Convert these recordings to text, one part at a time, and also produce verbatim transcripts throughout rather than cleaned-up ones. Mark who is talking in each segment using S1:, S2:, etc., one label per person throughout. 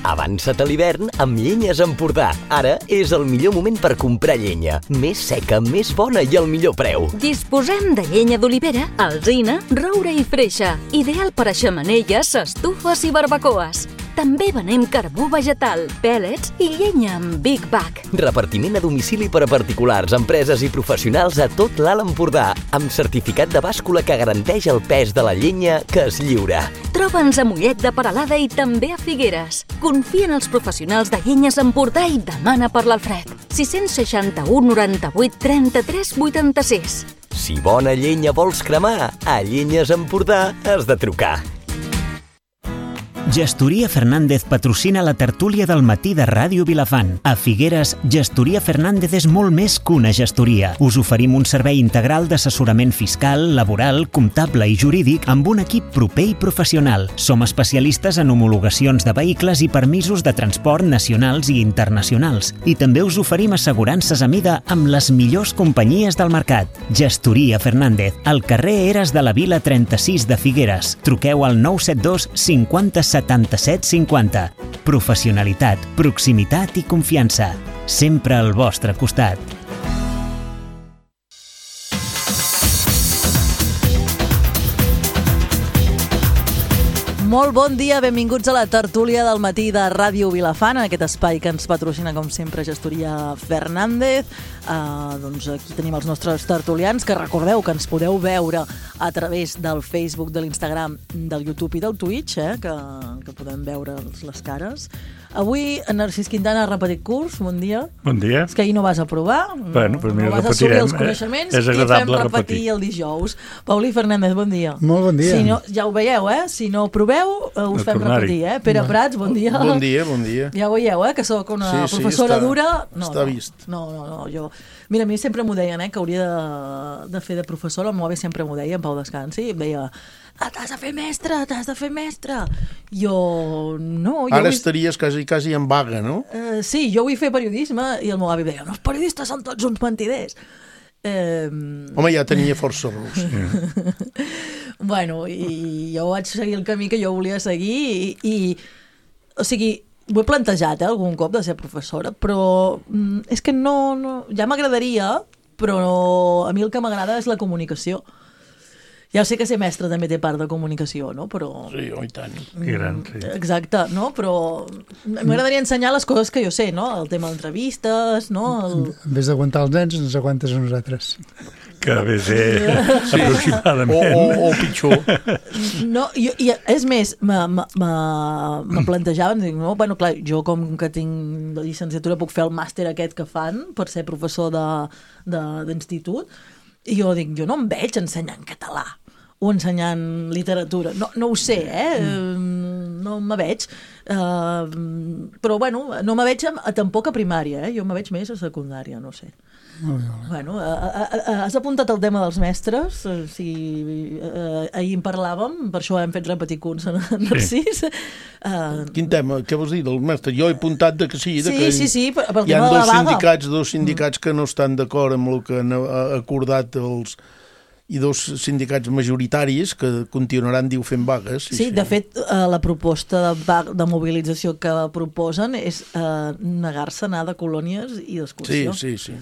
S1: Avança't a l'hivern amb Llenyes Empordà. Ara és el millor moment per comprar llenya. Més seca, més bona i al millor preu.
S2: Disposem de llenya d'olivera, alzina, roure i freixa. Ideal per a xemeneies, estufes i barbacoes. També venem carbó vegetal, pèl·lets i llenya amb Big Bag.
S1: Repartiment a domicili per a particulars, empreses i professionals a tot l'Alt Empordà, amb certificat de bàscula que garanteix el pes de la llenya que es lliura.
S2: Troba'ns a Mollet de Peralada i també a Figueres. Confia en els professionals de Llenyes Empordà i demana per l'Alfred. sis seixanta-u noranta-vuit trenta-tres vuitanta-sis.
S1: Si bona llenya vols cremar, a Llenyes Empordà has de trucar.
S3: Gestoria Fernández patrocina la tertúlia del matí de Ràdio Vilafant. A Figueres, Gestoria Fernández és molt més que una gestoria. Us oferim un servei integral d'assessorament fiscal, laboral, comptable i jurídic amb un equip proper i professional. Som especialistes en homologacions de vehicles i permisos de transport nacionals i internacionals. I també us oferim assegurances a mida amb les millors companyies del mercat. Gestoria Fernández, al carrer Eres de la Vila trenta-sis de Figueres. Truqueu al nou set dos cinquanta setanta-set cinquanta. Professionalitat, proximitat i confiança. Sempre al vostre costat.
S4: Molt bon dia, benvinguts a la tertúlia del matí de Ràdio Vilafant, en aquest espai que ens patrocina, com sempre, Gestoria Fernández. Uh, doncs aquí tenim els nostres tertulians, que recordeu que ens podeu veure a través del Facebook, de l'Instagram, del YouTube i del Twitch, eh, que, que podem veure les cares. Avui, en Narcís Quintana ha repetit curs, bon dia.
S5: Bon dia.
S4: És que ahir no vas aprovar,
S5: bueno, però mira,
S4: no vas assolir els coneixements,
S5: és
S4: i fem repetir,
S5: repetir
S4: el dijous. Paulí Fernández, bon dia.
S6: Molt bon dia.
S4: Si no, ja ho veieu, eh? Si no proveu, eh, us
S5: De
S4: fem
S5: tornar-hi.
S4: repetir, eh? Pere Prats, bon dia.
S6: Bon dia, bon dia.
S4: Ja ho veieu, eh? Que sóc una
S6: Sí, sí,
S4: professora
S6: està-
S4: dura. No,
S6: està
S4: no,
S6: vist.
S4: No, no, no, jo... Mira, a mi sempre m'ho deien, eh? Que hauria de, de fer de professora. El meu avi sempre m'ho deia, en Pau Descansi. Em deia, ah, t'has de fer mestre, t'has de fer mestre. Jo, no... Jo
S6: Ara
S4: vull...
S6: estaries quasi, quasi en vaga, no?
S4: Uh, sí, jo vull fer periodisme i el meu avi deia, no, els periodistes són tots uns mentiders. Eh...
S6: Home, ja tenia força raó.
S4: Bueno, i jo vaig seguir el camí que jo volia seguir i, i o sigui, ho he plantejat eh, algun cop de ser professora, però mm, és que no, no ja m'agradaria, però a mi el que m'agrada és la comunicació. Ja sé que ser mestre també té part de comunicació, no? Però...
S6: Sí, oi tant.
S5: Que gran, sí.
S4: Exacte, no? Però m'agradaria ensenyar les coses que jo sé, no? El tema d'entrevistes, no? El...
S7: En vez d'aguantar els nens, ens aguantes a nosaltres.
S5: Que bé ser
S6: Sí.
S5: aproximadament.
S6: O, o, o pitjor.
S4: No, jo, i és més, me, me, me, me plantejaven, dic, no, bueno, clar, jo com que tinc la llicenciatura puc fer el màster aquest que fan per ser professor de- de- d'institut, i jo dic, jo no em veig ensenyant català o ensenyant literatura, no, no ho sé, eh? Mm. No me veig, uh, però bueno, no me veig a, a, tampoc a primària, eh? Jo me veig més a secundària, no sé.
S7: Molt bé, molt bé.
S4: Bueno, a, a, a, has apuntat el tema dels mestres, eh, si, eh, ahir en parlàvem, per això hem fet repetir curs en Narcís. Uh,
S6: Quin tema? Què vols dir del mestre? Jo he apuntat de que sí, de
S4: sí,
S6: que
S4: sí, sí, per, per el
S6: hi ha
S4: tema de
S6: dos
S4: la vaga.
S6: sindicats, dos sindicats que no estan d'acord amb el que han eh, acordat els i dos sindicats majoritaris que continuaran, diu, fent vagues.
S4: Sí, sí, de fet, eh, la proposta de, va- de mobilització que proposen és eh, negar-se a anar de colònies i
S6: Sí,
S4: d'excursió.
S6: sí, sí.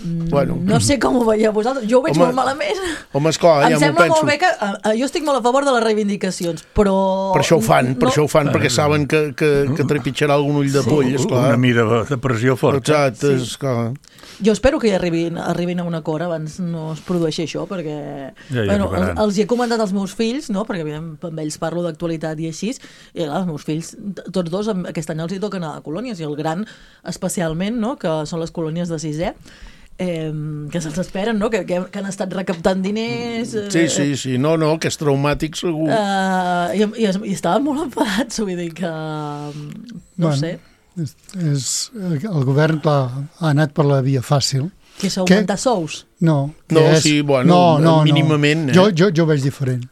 S4: Mm,
S6: Bueno.
S4: No sé com ho veieu vosaltres, jo ho veig
S6: Home,
S4: molt malament.
S6: Home, esclar,
S4: Em
S6: ja m'ho
S4: sembla
S6: penso.
S4: molt bé que... eh, jo estic molt a favor de les reivindicacions, però...
S6: Per això ho fan, per
S4: no,
S6: això ho fan, perquè saben que, que, que trepitjarà algun ull de
S4: Sí.
S6: poll, esclar.
S5: Una mida de pressió forta.
S6: Exacte,
S4: Sí.
S6: esclar.
S4: Jo espero que hi arribin, arribin a un acord abans no es produeixi això, perquè
S5: Ja hi
S4: bueno,
S5: arribaran.
S4: els, els hi he comentat als meus fills, no? Perquè evidentment, amb ells parlo d'actualitat i així, i clar, els meus fills, t- tots dos, em- aquest any els hi toca anar a colònies, i el gran especialment, no? Que són les colònies de sisè, eh, que se'ls esperen, no? que, que, que han estat recaptant diners... Eh,
S6: Sí, sí, sí. No, no, que és traumàtic segur.
S4: Eh, i, i, I estaven molt enfadats, vull dir que... No
S7: Bueno,
S4: sé,
S7: És, és, el govern, clar, ha anat per la via fàcil.
S4: que és augmentar sous.
S7: No, que
S6: No,
S7: és,
S6: sí, bueno, mínimament, eh?
S7: Jo, jo, jo ho veig diferent.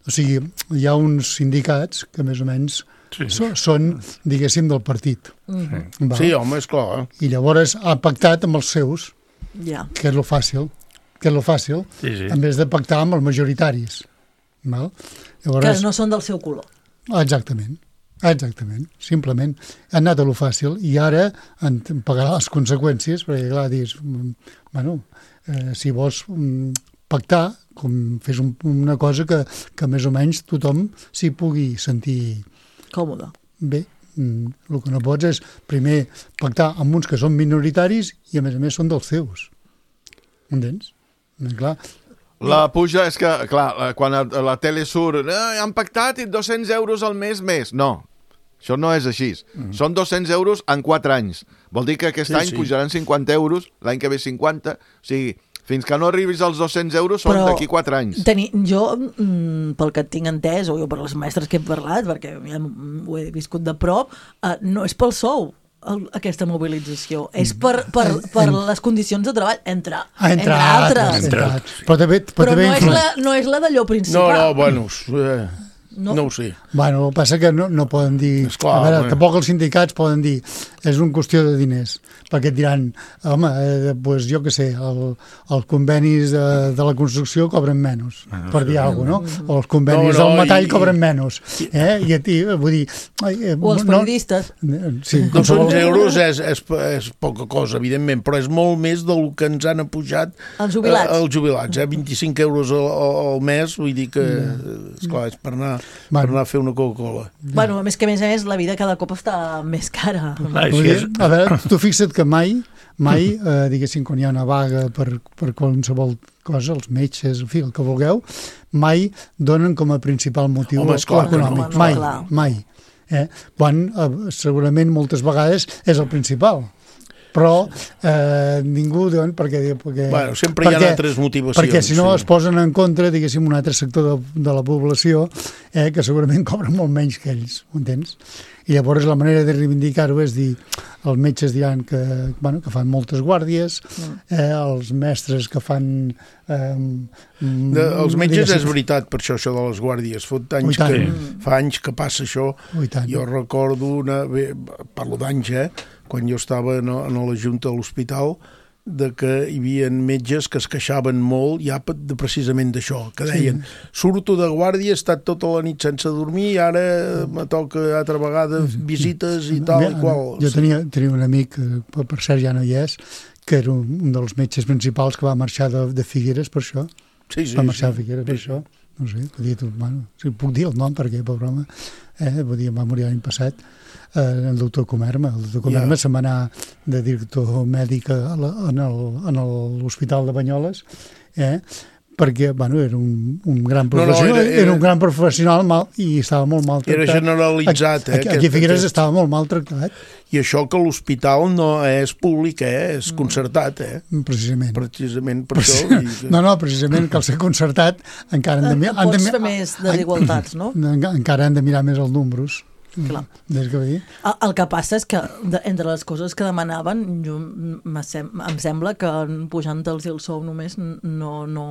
S7: O sigui, hi ha uns sindicats que més o menys
S5: Sí.
S7: so, són, diguéssim, del partit.
S4: Mm,
S7: Val?
S6: Sí, home, esclar.
S7: I llavors ha pactat amb els seus,
S4: ja.
S7: que és lo fàcil, que és lo fàcil,
S5: Sí, sí.
S7: en vez de pactar amb els majoritaris. Val?
S4: Que
S7: Llavors,
S4: no són del seu color.
S7: exactament. Exactament, simplement. Han anat a lo fàcil i ara en pagarà les conseqüències, perquè clar, dius, bueno, eh, si vols pactar, com fes un, una cosa que, que més o menys tothom s'hi pugui sentir
S4: còmode.
S7: Bé, el que no pots és primer pactar amb uns que són minoritaris i a més a més són dels teus. Entens? Clar.
S8: La puja és que, clar, quan a la tele surt eh, han pactat i dos-cents euros al mes més. No, això no és així. Mm. Són dos-cents euros en quatre anys. Vol dir que aquest sí, any sí. pujaran cinquanta euros, l'any que ve cinquanta. O sigui, fins que no arribis als dos-cents euros són d'aquí quatre anys.
S4: Teni, jo, mm, pel que tinc entès, o jo per les mestres que he parlat, perquè ja ho he viscut de prop, eh, no és pel sou el, aquesta mobilització, és per, per, per en, les condicions de treball, entre, entre, entre altres.
S7: Entre altres. Però, també, però,
S4: però
S7: també
S4: no, és la, no és la d'allò principal.
S6: No, no, bueno... Eh... No. no ho sé.
S7: Bueno, el que passa que no, no poden dir...
S6: Esclar,
S7: a veure,
S6: home.
S7: tampoc els sindicats poden dir és una qüestió de diners, perquè et diran, home, eh, pues jo què sé, el, els convenis de, de la construcció cobren menys, ah, no, per dir alguna cosa, no? O els convenis no, no, del metall i, cobren menys. Eh? I a ti, vull dir... Eh,
S4: o els periodistes.
S7: No, sí,
S6: dos-cents euros és, és, és poca cosa, evidentment, però és molt més del que ens han apujat
S4: els jubilats.
S6: Eh, els jubilats, eh? vint-i-cinc euros al, al mes, vull dir que, esclar, és per anar...
S7: Bueno.
S6: per anar a fer una Coca-Cola.
S4: Bueno, a més que a més a més la vida cada cop està més cara.
S5: Ah,
S7: dir, a veure, tu fixa't que mai, mai, eh, diguéssim, quan hi ha una vaga per, per qualsevol cosa, els metges, en fi, el que vulgueu, mai donen com a principal motiu
S6: Home, esclar,
S7: econòmic.
S4: No,
S7: mai,
S4: clar.
S7: mai. Eh? Quan eh, segurament moltes vegades és el principal. Però eh, ningú diuen perquè, perquè,
S6: bueno, sempre
S7: perquè,
S6: hi ha altres motivacions.
S7: Perquè si no
S6: sí.
S7: es posen en contra, diguéssim, un altre sector de, de la població eh, que segurament cobra molt menys que ells, ho entens? I llavors la manera de reivindicar-ho és dir, els metges diran que, bueno, que fan moltes guàrdies, eh, els mestres que fan... Eh,
S6: de, els metges diguéssim, és veritat, per això, això de les guàrdies. Fot anys que, fa anys que passa això. Jo recordo, una, bé, parlo d'anys, eh? Quan jo estava en, en la Junta de l'Hospital, de que hi havia metges que es queixaven molt ja de, precisament d'això, que deien sí. surto de guàrdia, he estat tota la nit sense dormir i ara me toca altra vegada visites i tal i qual.
S7: Jo tenia, tenia un amic, per, per cert ja no hi és, que era un, un dels metges principals que va marxar de, de Figueres per això.
S6: Sí, sí,
S7: va marxar
S6: sí.
S7: a Figueres per sí. això. No sé, dir, bueno, si puc dir el nom perquè, per broma, eh, vull dir, va morir l'any passat, eh, el doctor Comerma. El doctor Comerma yeah. se'n va anar de director mèdic a la, en l'Hospital de Banyoles, eh, perquè, bueno, era un, un gran professional, no, no, era, era, era un gran professional mal, i estava molt maltractat.
S6: Era generalitzat, eh?
S7: Aquí, aquí a Figueres aquest... estava molt maltractat.
S6: I això que l'hospital no és públic, eh? És concertat, eh?
S7: Precisament.
S6: Precisament per Precis... això. I...
S7: No, no, precisament que al ser concertat encara han de mirar...
S4: Pots han de... fer més desigualtats, no?
S7: Encara han de mirar més els números.
S4: Clar.
S7: Des que dir.
S4: El, el que passa és que de, entre les coses que demanaven jo, sem em sembla que pujant-los el sou només no, no,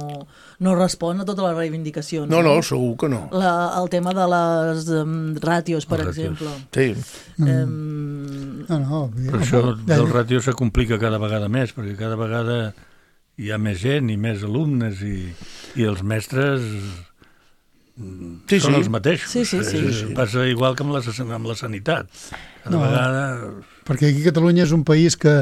S4: no respon a totes les reivindicacions.
S6: No, no, segur que no.
S4: La, el tema de les um, ràtios, per
S5: les
S4: exemple.
S6: Ràtios.
S7: Sí.
S4: Um,
S7: no, no,
S5: Però això del ràtio se complica cada vegada més, perquè cada vegada hi ha més gent i més alumnes i, i els mestres...
S6: Sí,
S5: són
S6: sí.
S5: els mateixos.
S4: Sí, sí, sí.
S5: sí, sí. Passa igual que amb la, amb la sanitat. Cada
S7: no,
S5: vegada...
S7: Perquè aquí a Catalunya és un país que,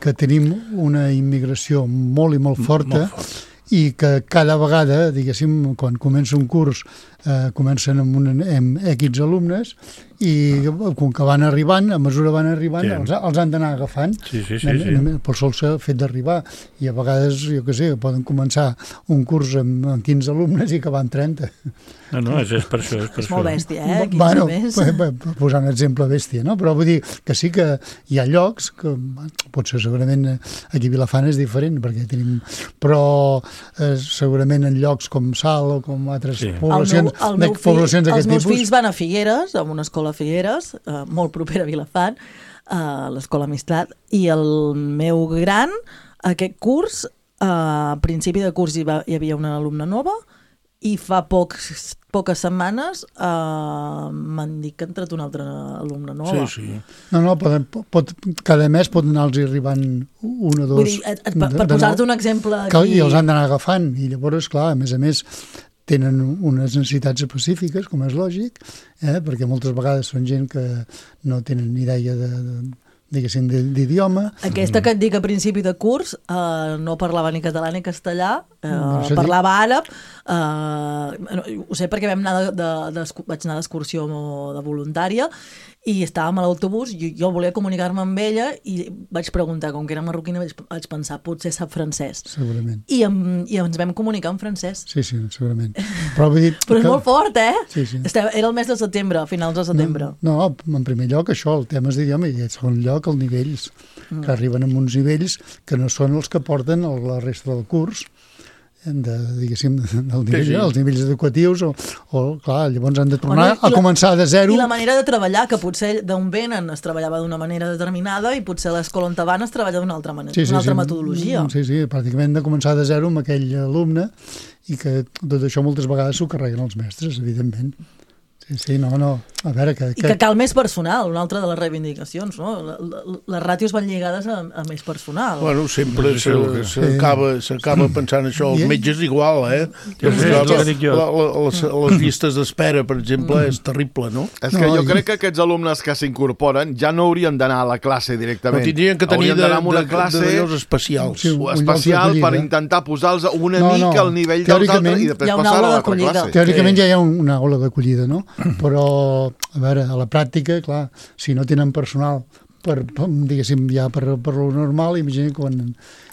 S7: que tenim una immigració molt i molt forta,
S5: molt fort.
S7: I que cada vegada, diguéssim, quan comença un curs, eh, comencen amb, un, amb X alumnes i com que van arribant, a mesura van arribant, sí. els, els han d'anar agafant.
S5: Sí, sí, sí. sí.
S7: Per sol s'ha fet d'arribar. I a vegades, jo què sé, poden començar un curs amb, amb quinze alumnes i acabar amb trenta.
S5: No, no, és, és per això. És, per
S4: és molt
S5: això.
S4: bèstia, eh? quinze
S7: bueno,
S4: més.
S7: Per, per posar un exemple bèstia, no? Però vull dir que sí que hi ha llocs que potser segurament aquí a Vilafant és diferent, perquè tenim... Però eh, segurament en llocs com Sal o com altres sí. poblacions,
S4: el meu, el meu
S7: de, poblacions d'aquest tipus...
S4: Els meus fills van a Figueres, a una escola a Figueres, eh, molt propera a Vilafant, a l'escola Mistrat, i el meu gran, aquest curs, eh, a principi de curs hi, va, hi havia una alumna nova, i fa pocs, poques setmanes eh, m'han dit que ha entrat una altra alumna nova.
S6: Sí, sí.
S7: No, no, pot, pot, cada mes pot anar-los arribant un o dos.
S4: Vull dir, per, per posar-te un exemple aquí...
S7: Que, I els han d'anar agafant, i llavors, clar, a més a més, tenen unes necessitats específiques, com és lògic, eh? perquè moltes vegades són gent que no tenen ni idea de, de diguéssim, d'idioma.
S4: Aquesta que et dic a principi de curs eh, no parlava ni català ni castellà, eh,
S7: no,
S4: parlava àrab, eh, ho sé perquè vam anar de, de, de, vaig anar d'excursió de voluntària i estàvem a l'autobús, jo, jo volia comunicar-me amb ella i vaig preguntar, com que era marroquina, vaig, vaig pensar, potser sap francès.
S7: Segurament.
S4: I, em, i ens vam comunicar en francès.
S7: Sí, sí, segurament. Però, vull dir,
S4: Però és
S7: que...
S4: molt fort, eh?
S7: Sí, sí.
S4: Estava, era el mes de setembre, a finals de setembre.
S7: No, no, en primer lloc això, el tema és d'idioma, i en segon lloc els nivells, mm. que arriben amb uns nivells que no són els que porten la resta del curs, de, diguéssim, del nivell, sí, sí. els nivells educatius, o, o clar, llavors han de tornar bueno, a la, començar de zero.
S4: I la manera de treballar, que potser d'on venen es treballava d'una manera determinada i potser a l'escola on te van es treballa d'una altra manera,
S7: sí, sí,
S4: una altra
S7: sí,
S4: metodologia.
S7: Sí, sí, pràcticament de començar de zero amb aquell alumne i que tot això moltes vegades s'ho carreguen els mestres, evidentment. Sí, sí, no, no. A veure, que, que...
S4: I que cal més personal, una altra de les reivindicacions, no? Les ràtios van lligades a, a més personal.
S6: Bueno, sempre s'acaba sí. pensant això. Els metges igual, eh?
S5: Jo sé,
S6: la,
S5: la, dic jo.
S6: La, la, les, les llistes d'espera, per exemple, mm. és terrible, no?
S8: És que no, jo crec que aquests alumnes que s'incorporen ja no haurien d'anar a la classe directament.
S6: No, tindrien que tenir de, una de, classe de, de especials.
S8: Sí, un, especial per intentar posar-los una no, mica no. al nivell dels altres i després passar a l'altra classe.
S7: Teòricament ja hi ha una aula d'acollida, no? Però, a veure, a la pràctica, clar, si no tenen personal per, diguéssim, ja per, per lo normal, imagina quan...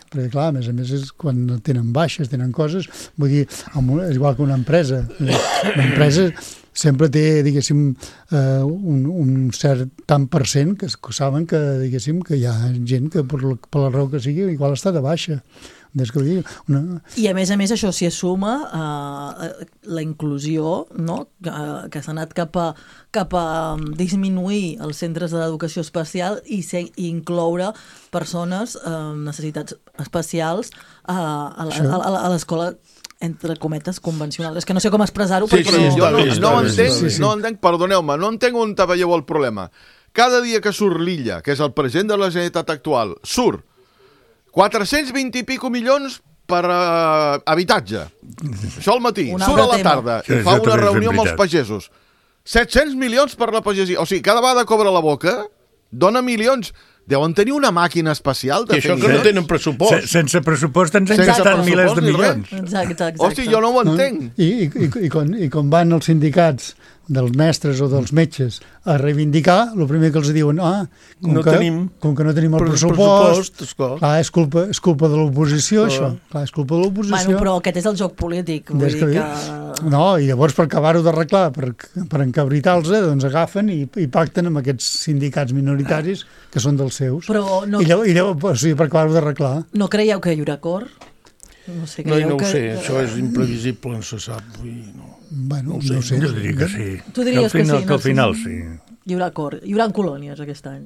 S7: Perquè, clar, a més a més, és quan tenen baixes, tenen coses, vull dir, és igual que una empresa. Una empresa sempre té, diguéssim, eh, un, un cert tant per cent que, que saben que, diguéssim, que hi ha gent que per la, per la raó que sigui igual està de baixa. Una...
S4: I a més a més això s'hi assuma eh, la inclusió, no? que, que s'ha anat cap a, cap a disminuir els centres de l'educació especial i, ser, i incloure persones amb eh, necessitats especials eh, a, la, a, a, a l'escola entre cometes convencional. És que no sé com expressar-ho.
S8: Sí, sí, jo no, no, entenc, sí, sí. no entenc, perdoneu-me, no entenc on te veieu el problema. Cada dia que surt l'Illa, que és el president de la Generalitat actual, surt quatre-cents vint i pico milions per uh, habitatge. Això al matí. Surt a la tarda i fa una reunió amb els pagesos. set-cents milions per la pagesia. O sigui, cada vegada cobra la boca, dona milions. Deuen tenir una màquina especial de
S6: fer això que no tenen pressupost.
S5: Sense pressupost ens han gastat milers de milions.
S4: Exacte, exacte.
S8: Hosti, jo no ho entenc.
S7: I, i, i, i, quan, i quan van els sindicats dels mestres o dels metges a reivindicar, el primer que els diuen, ah, com,
S6: no
S7: que,
S6: tenim,
S7: com que no tenim el pressupost,
S6: pressupost
S7: clar, és culpa, és culpa de l'oposició, oh. això. Clar, és culpa de l'oposició.
S4: Bueno, però aquest és el joc polític. Vull dir que...
S7: No, i llavors per acabar-ho d'arreglar, per, per encabritar-los, doncs agafen i, i pacten amb aquests sindicats minoritaris que són dels seus.
S4: Però no...
S7: I llavors, i llavors o sigui, per acabar-ho d'arreglar.
S4: No creieu que hi haurà acord?
S6: No sé, no, no ho que... sé, això és imprevisible, no se sap. Vull, no.
S7: Bueno,
S6: no ho sé.
S7: No sé.
S5: Jo diria que sí.
S4: Tu diries
S5: que, al final,
S4: que sí.
S5: Que al final sí.
S4: Hi haurà acord. Hi haurà colònies aquest any.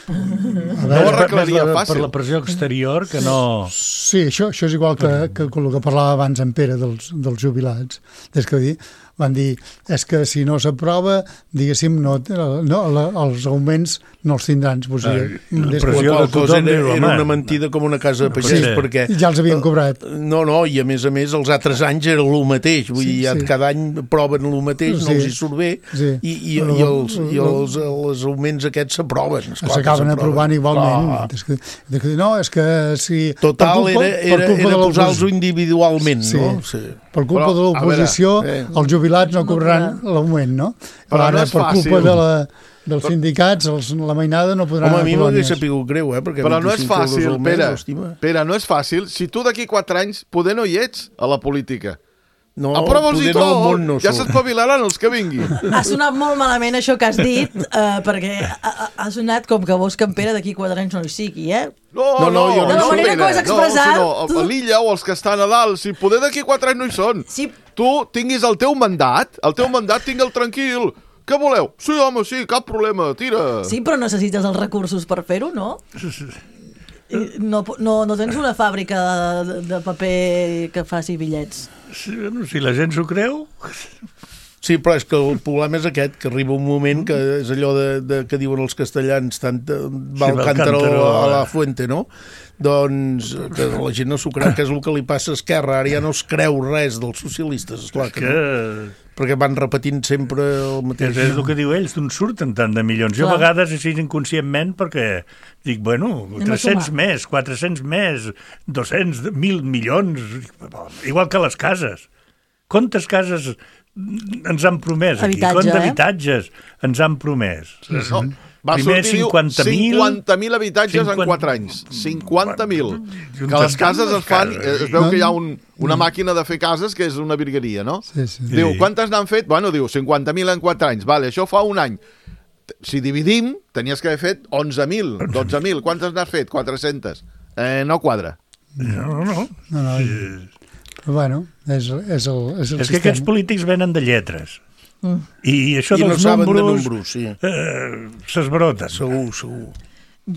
S7: A
S8: veure, no ho arreglaria
S5: per,
S8: fàcil.
S5: Per la pressió exterior, que no...
S7: Sí, això, això és igual que, que, que el que parlava abans en Pere dels, dels jubilats. És que dir, van dir, és que si no s'aprova, diguéssim, no, no, la, els augments no els tindran. Pues,
S5: ah, la pressió de tothom
S6: era, era una mentida com una casa de pagès, sí, perquè...
S7: Ja els havien cobrat.
S6: No, no, i a més a més els altres anys era el mateix, vull dir, sí, sí. cada any proven el mateix, sí, no els hi surt bé, sí. i, i, i, els, i els, els augments aquests s'aproven.
S7: S'acaben aprovant igualment. Oh. És que, és que, no, és que si...
S6: Total, culpa, era, era, era posar-los individualment, sí. no? Sí.
S7: Per culpa Però, de l'oposició, eh. els jubilats no cobraran l'augment, no? Però ara, no per fàcil. culpa de la... dels sindicats, els, la mainada no podran...
S6: Home, a mi m'hauria sapigut greu, eh? Perquè
S8: però no és fàcil, Pere. Pere, no és fàcil. Si tu d'aquí quatre anys poder no hi ets a la política.
S6: No,
S8: aprova'ls i tot,
S6: no
S8: ja s'espavilaran els que vinguin.
S4: Ha sonat molt malament això que has dit, eh, perquè ha, ha sonat com que vols que en Pere d'aquí quatre anys no hi sigui, eh?
S8: No, no, no, jo
S4: de la manera que ho has expressat...
S8: No, sinó a l'Illa o els que estan a dalt, si poder d'aquí quatre anys no hi són.
S4: Sí.
S8: Tu tinguis el teu mandat, el teu mandat tingue'l tranquil. Què voleu? Sí, home, sí, cap problema, tira.
S4: Sí, però necessites els recursos per fer-ho, no? No, no, no tens una fàbrica de, de paper que faci bitllets.
S5: Si, si la gent s'ho creu...
S6: Sí, però és que el problema és aquest, que arriba un moment que és allò de, de que diuen els castellans, tant va el cántaro a la fuente, no? Doncs que la gent no s'ho creu, que és el que li passa a Esquerra, ara ja no es creu res dels socialistes, esclar que, que no, perquè van repetint sempre el mateix.
S5: És el que diu ells, d'on surten tant de milions. Jo a vegades així inconscientment, perquè dic, bueno, tres-cents més, quatre-cents més, dos-cents, mil milions, igual que les cases. Quantes cases ens han promès aquí? Quants habitatges ens han promès?
S8: No. Va
S5: Primer
S8: sortir cinquanta mil habitatges cinquanta... en quatre anys. cinquanta mil. Que les cases es fan... Es veu que hi ha un, una màquina de fer cases que és una virgueria, no?
S7: Sí, sí.
S8: Diu, quantes n'han fet? Bueno, diu, cinquanta mil en quatre anys. Vale, això fa un any. Si dividim, tenies que haver fet onze mil, dotze mil. Quantes n'has fet? quatre-centes. Eh, no quadra.
S5: No, no, no.
S7: no, no. Sí. Però bueno, és, és el, és el
S5: és
S7: sistema.
S5: Que aquests polítics venen de lletres. Mm. I això
S6: I
S5: dels
S6: no
S5: números,
S6: de números sí.
S5: eh, s'esbroten.
S6: Segur, segur.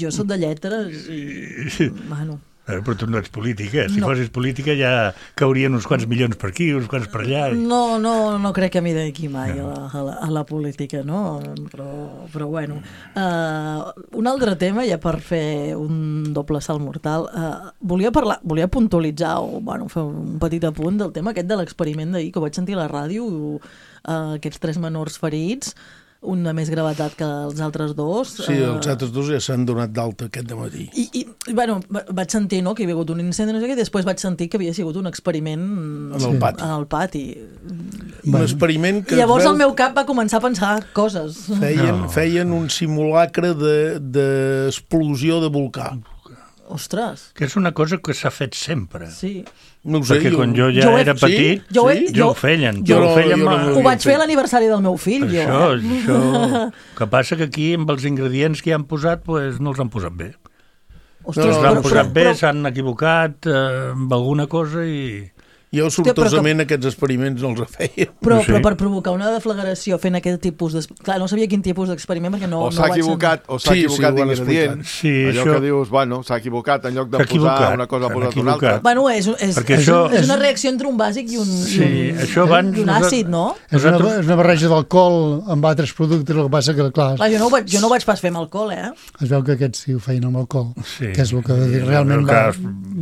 S4: Jo soc de lletres i... Bueno...
S5: Eh, però tu no ets política. Si no. fossis política ja caurien uns quants milions per aquí, uns quants per allà. I...
S4: No, no, no crec que m'hi dediqui mai no. a, la, a, la, a la política, no? Però, però bueno. Uh, un altre tema, ja per fer un doble salt mortal, uh, volia parlar, volia puntualitzar o bueno, fer un petit apunt del tema aquest de l'experiment d'ahir, que vaig sentir a la ràdio, uh, aquests tres menors ferits, un de més gravetat que els altres dos.
S6: Sí, els altres dos ja s'han donat d'alta aquest dematí.
S4: I, i bueno, vaig sentir no, que hi havia hagut un incendi, no sé què, i després vaig sentir que havia sigut un experiment
S6: en el pati.
S4: En el pati.
S6: Un bueno. experiment que...
S4: I llavors
S6: veu...
S4: el meu cap va començar a pensar coses.
S6: Feien,
S5: no.
S6: feien un simulacre d'explosió de, de volcà.
S4: Ostres.
S5: Que és una cosa que s'ha fet sempre.
S4: Sí.
S6: No sé,
S5: perquè
S6: jo...
S5: quan jo ja
S4: jo he...
S5: era petit,
S4: sí? jo, he...
S5: jo, jo ho feien.
S4: Jo,
S5: jo ho, feien
S6: jo
S5: no,
S4: ho vaig fer a l'aniversari del meu fill, jo.
S5: Això,
S4: eh?
S5: això... que passa que aquí, amb els ingredients que hi han posat, pues, no els han posat bé.
S4: Ostres,
S5: no els han
S4: però,
S5: posat
S4: però,
S5: bé,
S4: però...
S5: s'han equivocat eh, amb alguna cosa i...
S6: Jo sortosament Hòstia, aquests experiments no els feia.
S4: Però,
S5: no sé.
S4: però per provocar una deflagració fent aquest tipus de... Clar, no sabia quin tipus d'experiment perquè no,
S8: o s'ha
S4: no
S8: equivocat, o s'ha
S6: sí,
S8: equivocat
S6: sí,
S8: d'ingredient.
S5: Sí,
S8: allò
S5: això...
S8: que dius, bueno, s'ha equivocat, en lloc de posar una cosa posat una altra.
S4: Bueno, és, és, és,
S5: això...
S4: és una reacció entre un bàsic i un,
S5: sí,
S4: i un,
S5: això abans,
S4: i un àcid, no?
S7: És una, és una barreja d'alcohol amb altres productes, el que passa que, clar...
S4: clar jo, no ho vaig, jo no ho vaig pas fer amb alcohol, eh?
S7: Es veu que aquests sí ho feien amb alcohol,
S5: sí,
S7: que és el que sí, realment va,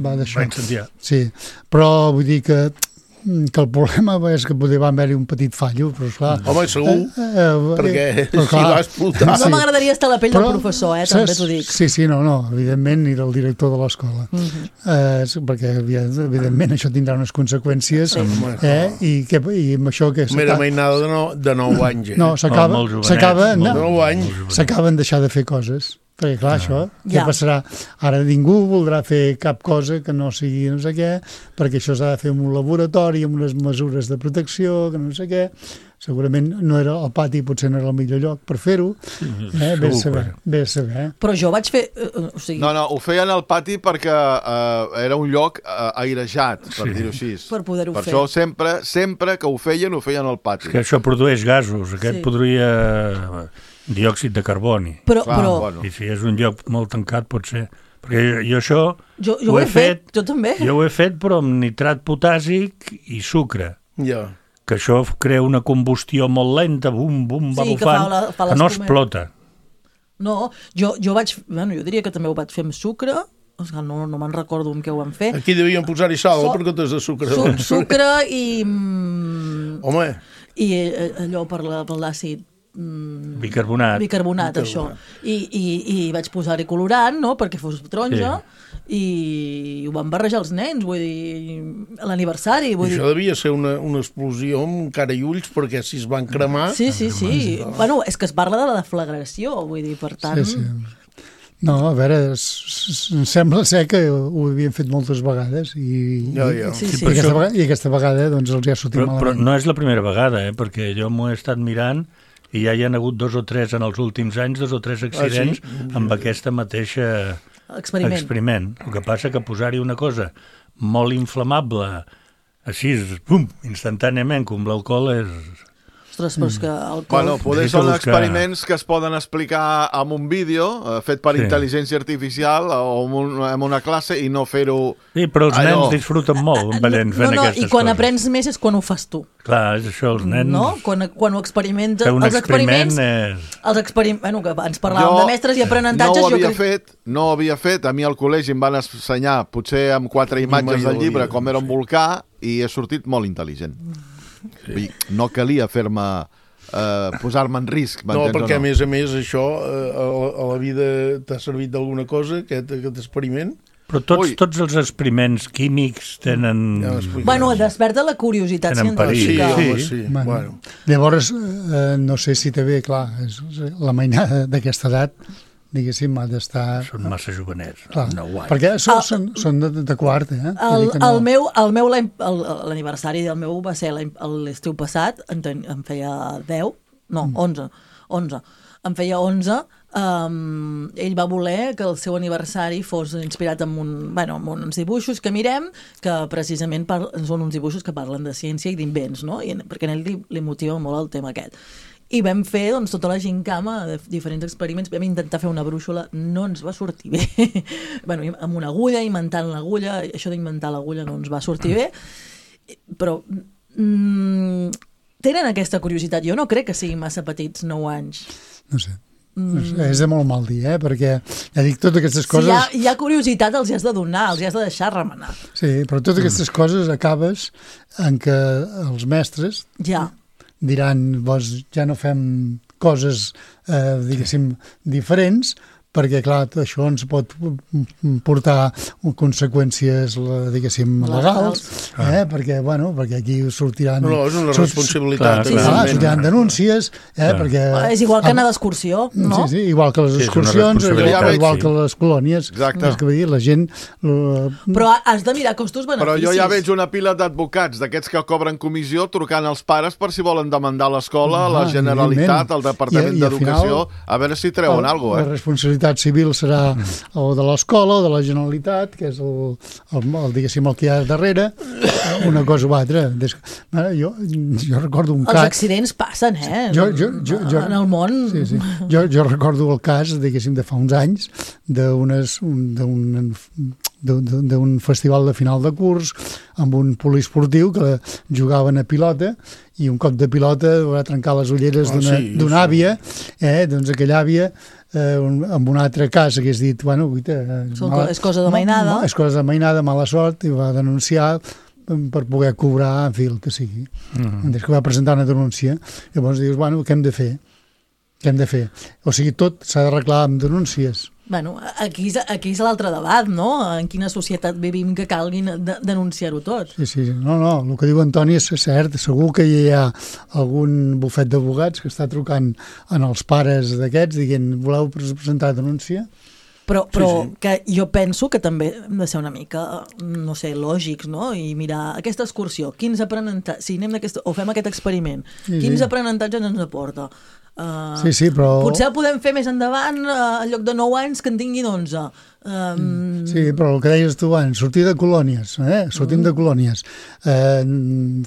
S7: va d'això.
S5: Va incendiar.
S7: Sí, però vull dir que que el problema és que poder va haver-hi un petit fallo, però esclar...
S6: Home, segur, eh, eh, perquè
S7: però,
S6: si va explotar...
S4: No m'agradaria estar a la pell però, del professor, eh, també t'ho dic.
S7: Sí, sí, no, no, evidentment, i del director de l'escola. Uh -huh. eh, perquè, evidentment, això tindrà unes conseqüències, sí. eh, i, que, i amb això que...
S6: Mera mainada de, no, de nou anys, eh?
S7: No, s'acaba...
S5: Oh,
S7: s'acaba
S6: no, nou anys.
S7: S'acaben deixar de fer coses. Perquè, clar, això, què
S4: ja.
S7: passarà? Ara ningú voldrà fer cap cosa que no sigui no sé què, perquè això s'ha de fer en un laboratori, amb unes mesures de protecció, que no sé què. Segurament no era el pati, potser no era el millor lloc per fer-ho. Eh? Bé a saber, bé a saber. Eh?
S4: Però jo vaig fer... Uh, o sigui...
S8: No, no, ho feien al pati perquè uh, era un lloc uh, airejat, per sí. dir-ho així.
S4: Per poder-ho
S8: per
S4: fer.
S8: Per això sempre, sempre que ho feien, ho feien al pati.
S5: És que això produeix gasos. Aquest sí. podria... diòxid de carboni.
S4: Però,
S8: Clar,
S4: però...
S8: bueno.
S5: I si és un lloc molt tancat, pot ser... Perquè jo, jo això
S4: jo, jo ho he fet, fet, jo també.
S5: Jo ho he fet, però amb nitrat potàssic i sucre.
S6: Ja.
S5: Que això crea una combustió molt lenta, bum, bum, va
S4: sí,
S5: bufant,
S4: que, fa la, fa
S5: que no explota.
S4: No, jo, jo vaig... Bueno, jo diria que també ho vaig fer amb sucre, no, no me'n recordo amb què ho van fer.
S6: Aquí devien posar-hi sal, so, per comptes de sucre.
S4: Su sucre i...
S6: Home!
S4: I allò per l'àcid...
S5: Mm, bicarbonat.
S4: Bicarbonat, bicarbonat. Això. I, i, i vaig posar-hi colorant, no?, perquè fos taronja, sí. i ho van barrejar els nens, vull dir, a l'aniversari.
S6: Això devia ser una, una explosió amb cara i ulls, perquè si es van cremar...
S4: Sí, sí, sí. No. Bueno, és que es parla de la deflagració, vull dir, per tant...
S7: Sí, sí. No, a veure, em sembla ser que ho havien fet moltes vegades i,
S6: ja, ja.
S4: Sí, sí.
S7: I, aquesta, vegada, i aquesta vegada doncs, els hi ha sortit
S5: però,
S7: malament.
S5: Però no és la primera vegada, eh? Perquè jo m'ho he estat mirant i ja hi ha hagut dos o tres en els últims anys, dos o tres accidents ah, sí? amb aquesta mateixa experiment. experiment. El que passa que posar-hi una cosa molt inflamable, així, pum, instantàniament, com l'alcohol és...
S4: Ostres, però és que el col...
S8: Bueno, poder són experiments que es poden explicar amb un vídeo eh, fet per sí. intel·ligència artificial o en, un, en una classe i no fer-ho...
S5: Sí, però els allò... nens disfruten molt veient,
S4: no,
S5: fent
S4: no,
S5: aquestes coses.
S4: I quan coses. aprens més és quan ho fas tu.
S5: Clar, és això, els nens...
S4: No? Quan, quan ho experimentes...
S5: Fer un
S4: els
S5: experiment
S4: experiments,
S5: és...
S4: Els experiments... Bueno, que ens parlàvem jo de mestres i aprenentatges...
S8: No ho havia
S4: jo crec...
S8: fet, no ho havia fet. A mi al col·legi em van ensenyar, potser amb quatre imatges del llibre, com era un volcà, i he sortit molt intel·ligent. Sí. No calia fer-me... Uh, posar-me en risc.
S6: No, perquè no? a més a més això uh, a, a la vida t'ha servit d'alguna cosa, aquest, aquest experiment?
S5: Però tots, tots els experiments químics tenen... Ja
S4: bueno, desperta la curiositat científica.
S6: Sí, sí. sí.
S7: Bueno,
S6: bueno.
S7: Llavors, eh, no sé si també, clar, és, la mainada d'aquesta edat, diguéssim, ha d'estar...
S5: Són massa jovenets,
S7: clar,
S5: no guai.
S7: Perquè són, el, són, són de, de quart, eh?
S4: El,
S7: no...
S4: el meu, el meu l'aniversari del meu va ser l'estiu passat, en, ten, en feia deu, no, onze, onze. En feia onze, um, ell va voler que el seu aniversari fos inspirat en, un, bueno, en uns dibuixos que mirem, que precisament par, són uns dibuixos que parlen de ciència i d'invents, no? I, perquè a ell li, li motiva molt el tema aquest. I vam fer doncs, tota la gincama de diferents experiments, vam intentar fer una brúixola, no ens va sortir bé. bueno, amb una agulla, inventant l'agulla, això d'inventar l'agulla no ens va sortir bé, però mm, tenen aquesta curiositat. Jo no crec que siguin massa petits, nou anys.
S7: No sé. Mm. És de molt mal dir, eh? Perquè ja dic, totes aquestes coses...
S4: Si hi ha, hi ha curiositat, els hi has de donar, els hi has de deixar remenar.
S7: Sí, però totes aquestes mm. coses acabes en què els mestres...
S4: Ja.
S7: diran, doncs ja no fem coses, eh, diguéssim, diferents, perquè, clar, això ens pot portar conseqüències, diguéssim, legals, eh? perquè, bueno, perquè aquí sortiran...
S6: No, no és una responsabilitat.
S7: Clar, clar, clar, sortiran denúncies, eh? perquè...
S4: És igual que anar d'excursió, no?
S7: Sí, sí, igual que les excursions, sí, igual que les colònies.
S8: Exacte.
S7: És que dir, la gent...
S4: Però has de mirar costos-beneficis.
S8: Però jo ja veig una pila d'advocats, d'aquests que cobren comissió, trucant als pares per si volen demandar l'escola, la Generalitat, el Departament d'Educació, a veure si treuen alguna cosa, eh?
S7: La responsabilitat civil serà o de l'escola o de la Generalitat, que és el, el, el, diguéssim, el que hi ha darrere, una cosa o altra. Des, jo, jo recordo un
S4: Els
S7: cas...
S4: Els accidents passen, eh?
S7: Jo, jo, jo, jo,
S4: en el món...
S7: Sí, sí. Jo, jo recordo el cas, diguéssim, de fa uns anys, d'un festival de final de curs amb un poliesportiu que jugaven a pilota i un cop de pilota va trencar les ulleres oh, d'una sí, àvia, eh? Doncs aquella àvia eh, un, amb un altre cas hagués dit, bueno, guita,
S4: mala, és cosa de mainada.
S7: No, no, és cosa de mainada, mala sort, i va denunciar per poder cobrar, en fi, el que sigui. Mm-hmm. Des que va presentar una denúncia, llavors dius, bueno, què hem de fer? Què hem de fer? O sigui, tot s'ha d'arreglar amb denúncies.
S4: Bueno, aquí és, aquí és l'altre debat, no? En quina societat vivim que calguin de, denunciar-ho tot.
S7: Sí, sí, no, no, el que diu Antoni és cert, segur que hi ha algun bufet d'advocats que està trucant en els pares d'aquests dient, voleu presentar denúncia?
S4: Però, però
S7: sí, sí.
S4: que jo penso que també hem de ser una mica, no sé, lògics, no? I mirar aquesta excursió, quins aprenentatges, si anem o fem aquest experiment, sí, quins sí. aprenentatges ens aporta? Uh,
S7: sí, sí, però...
S4: Potser el podem fer més endavant, uh, en lloc de nou anys que en tinguin onze. Um...
S7: Sí, però el que deies tu abans, sortir de colònies, eh? sortim mm. de colònies. Eh,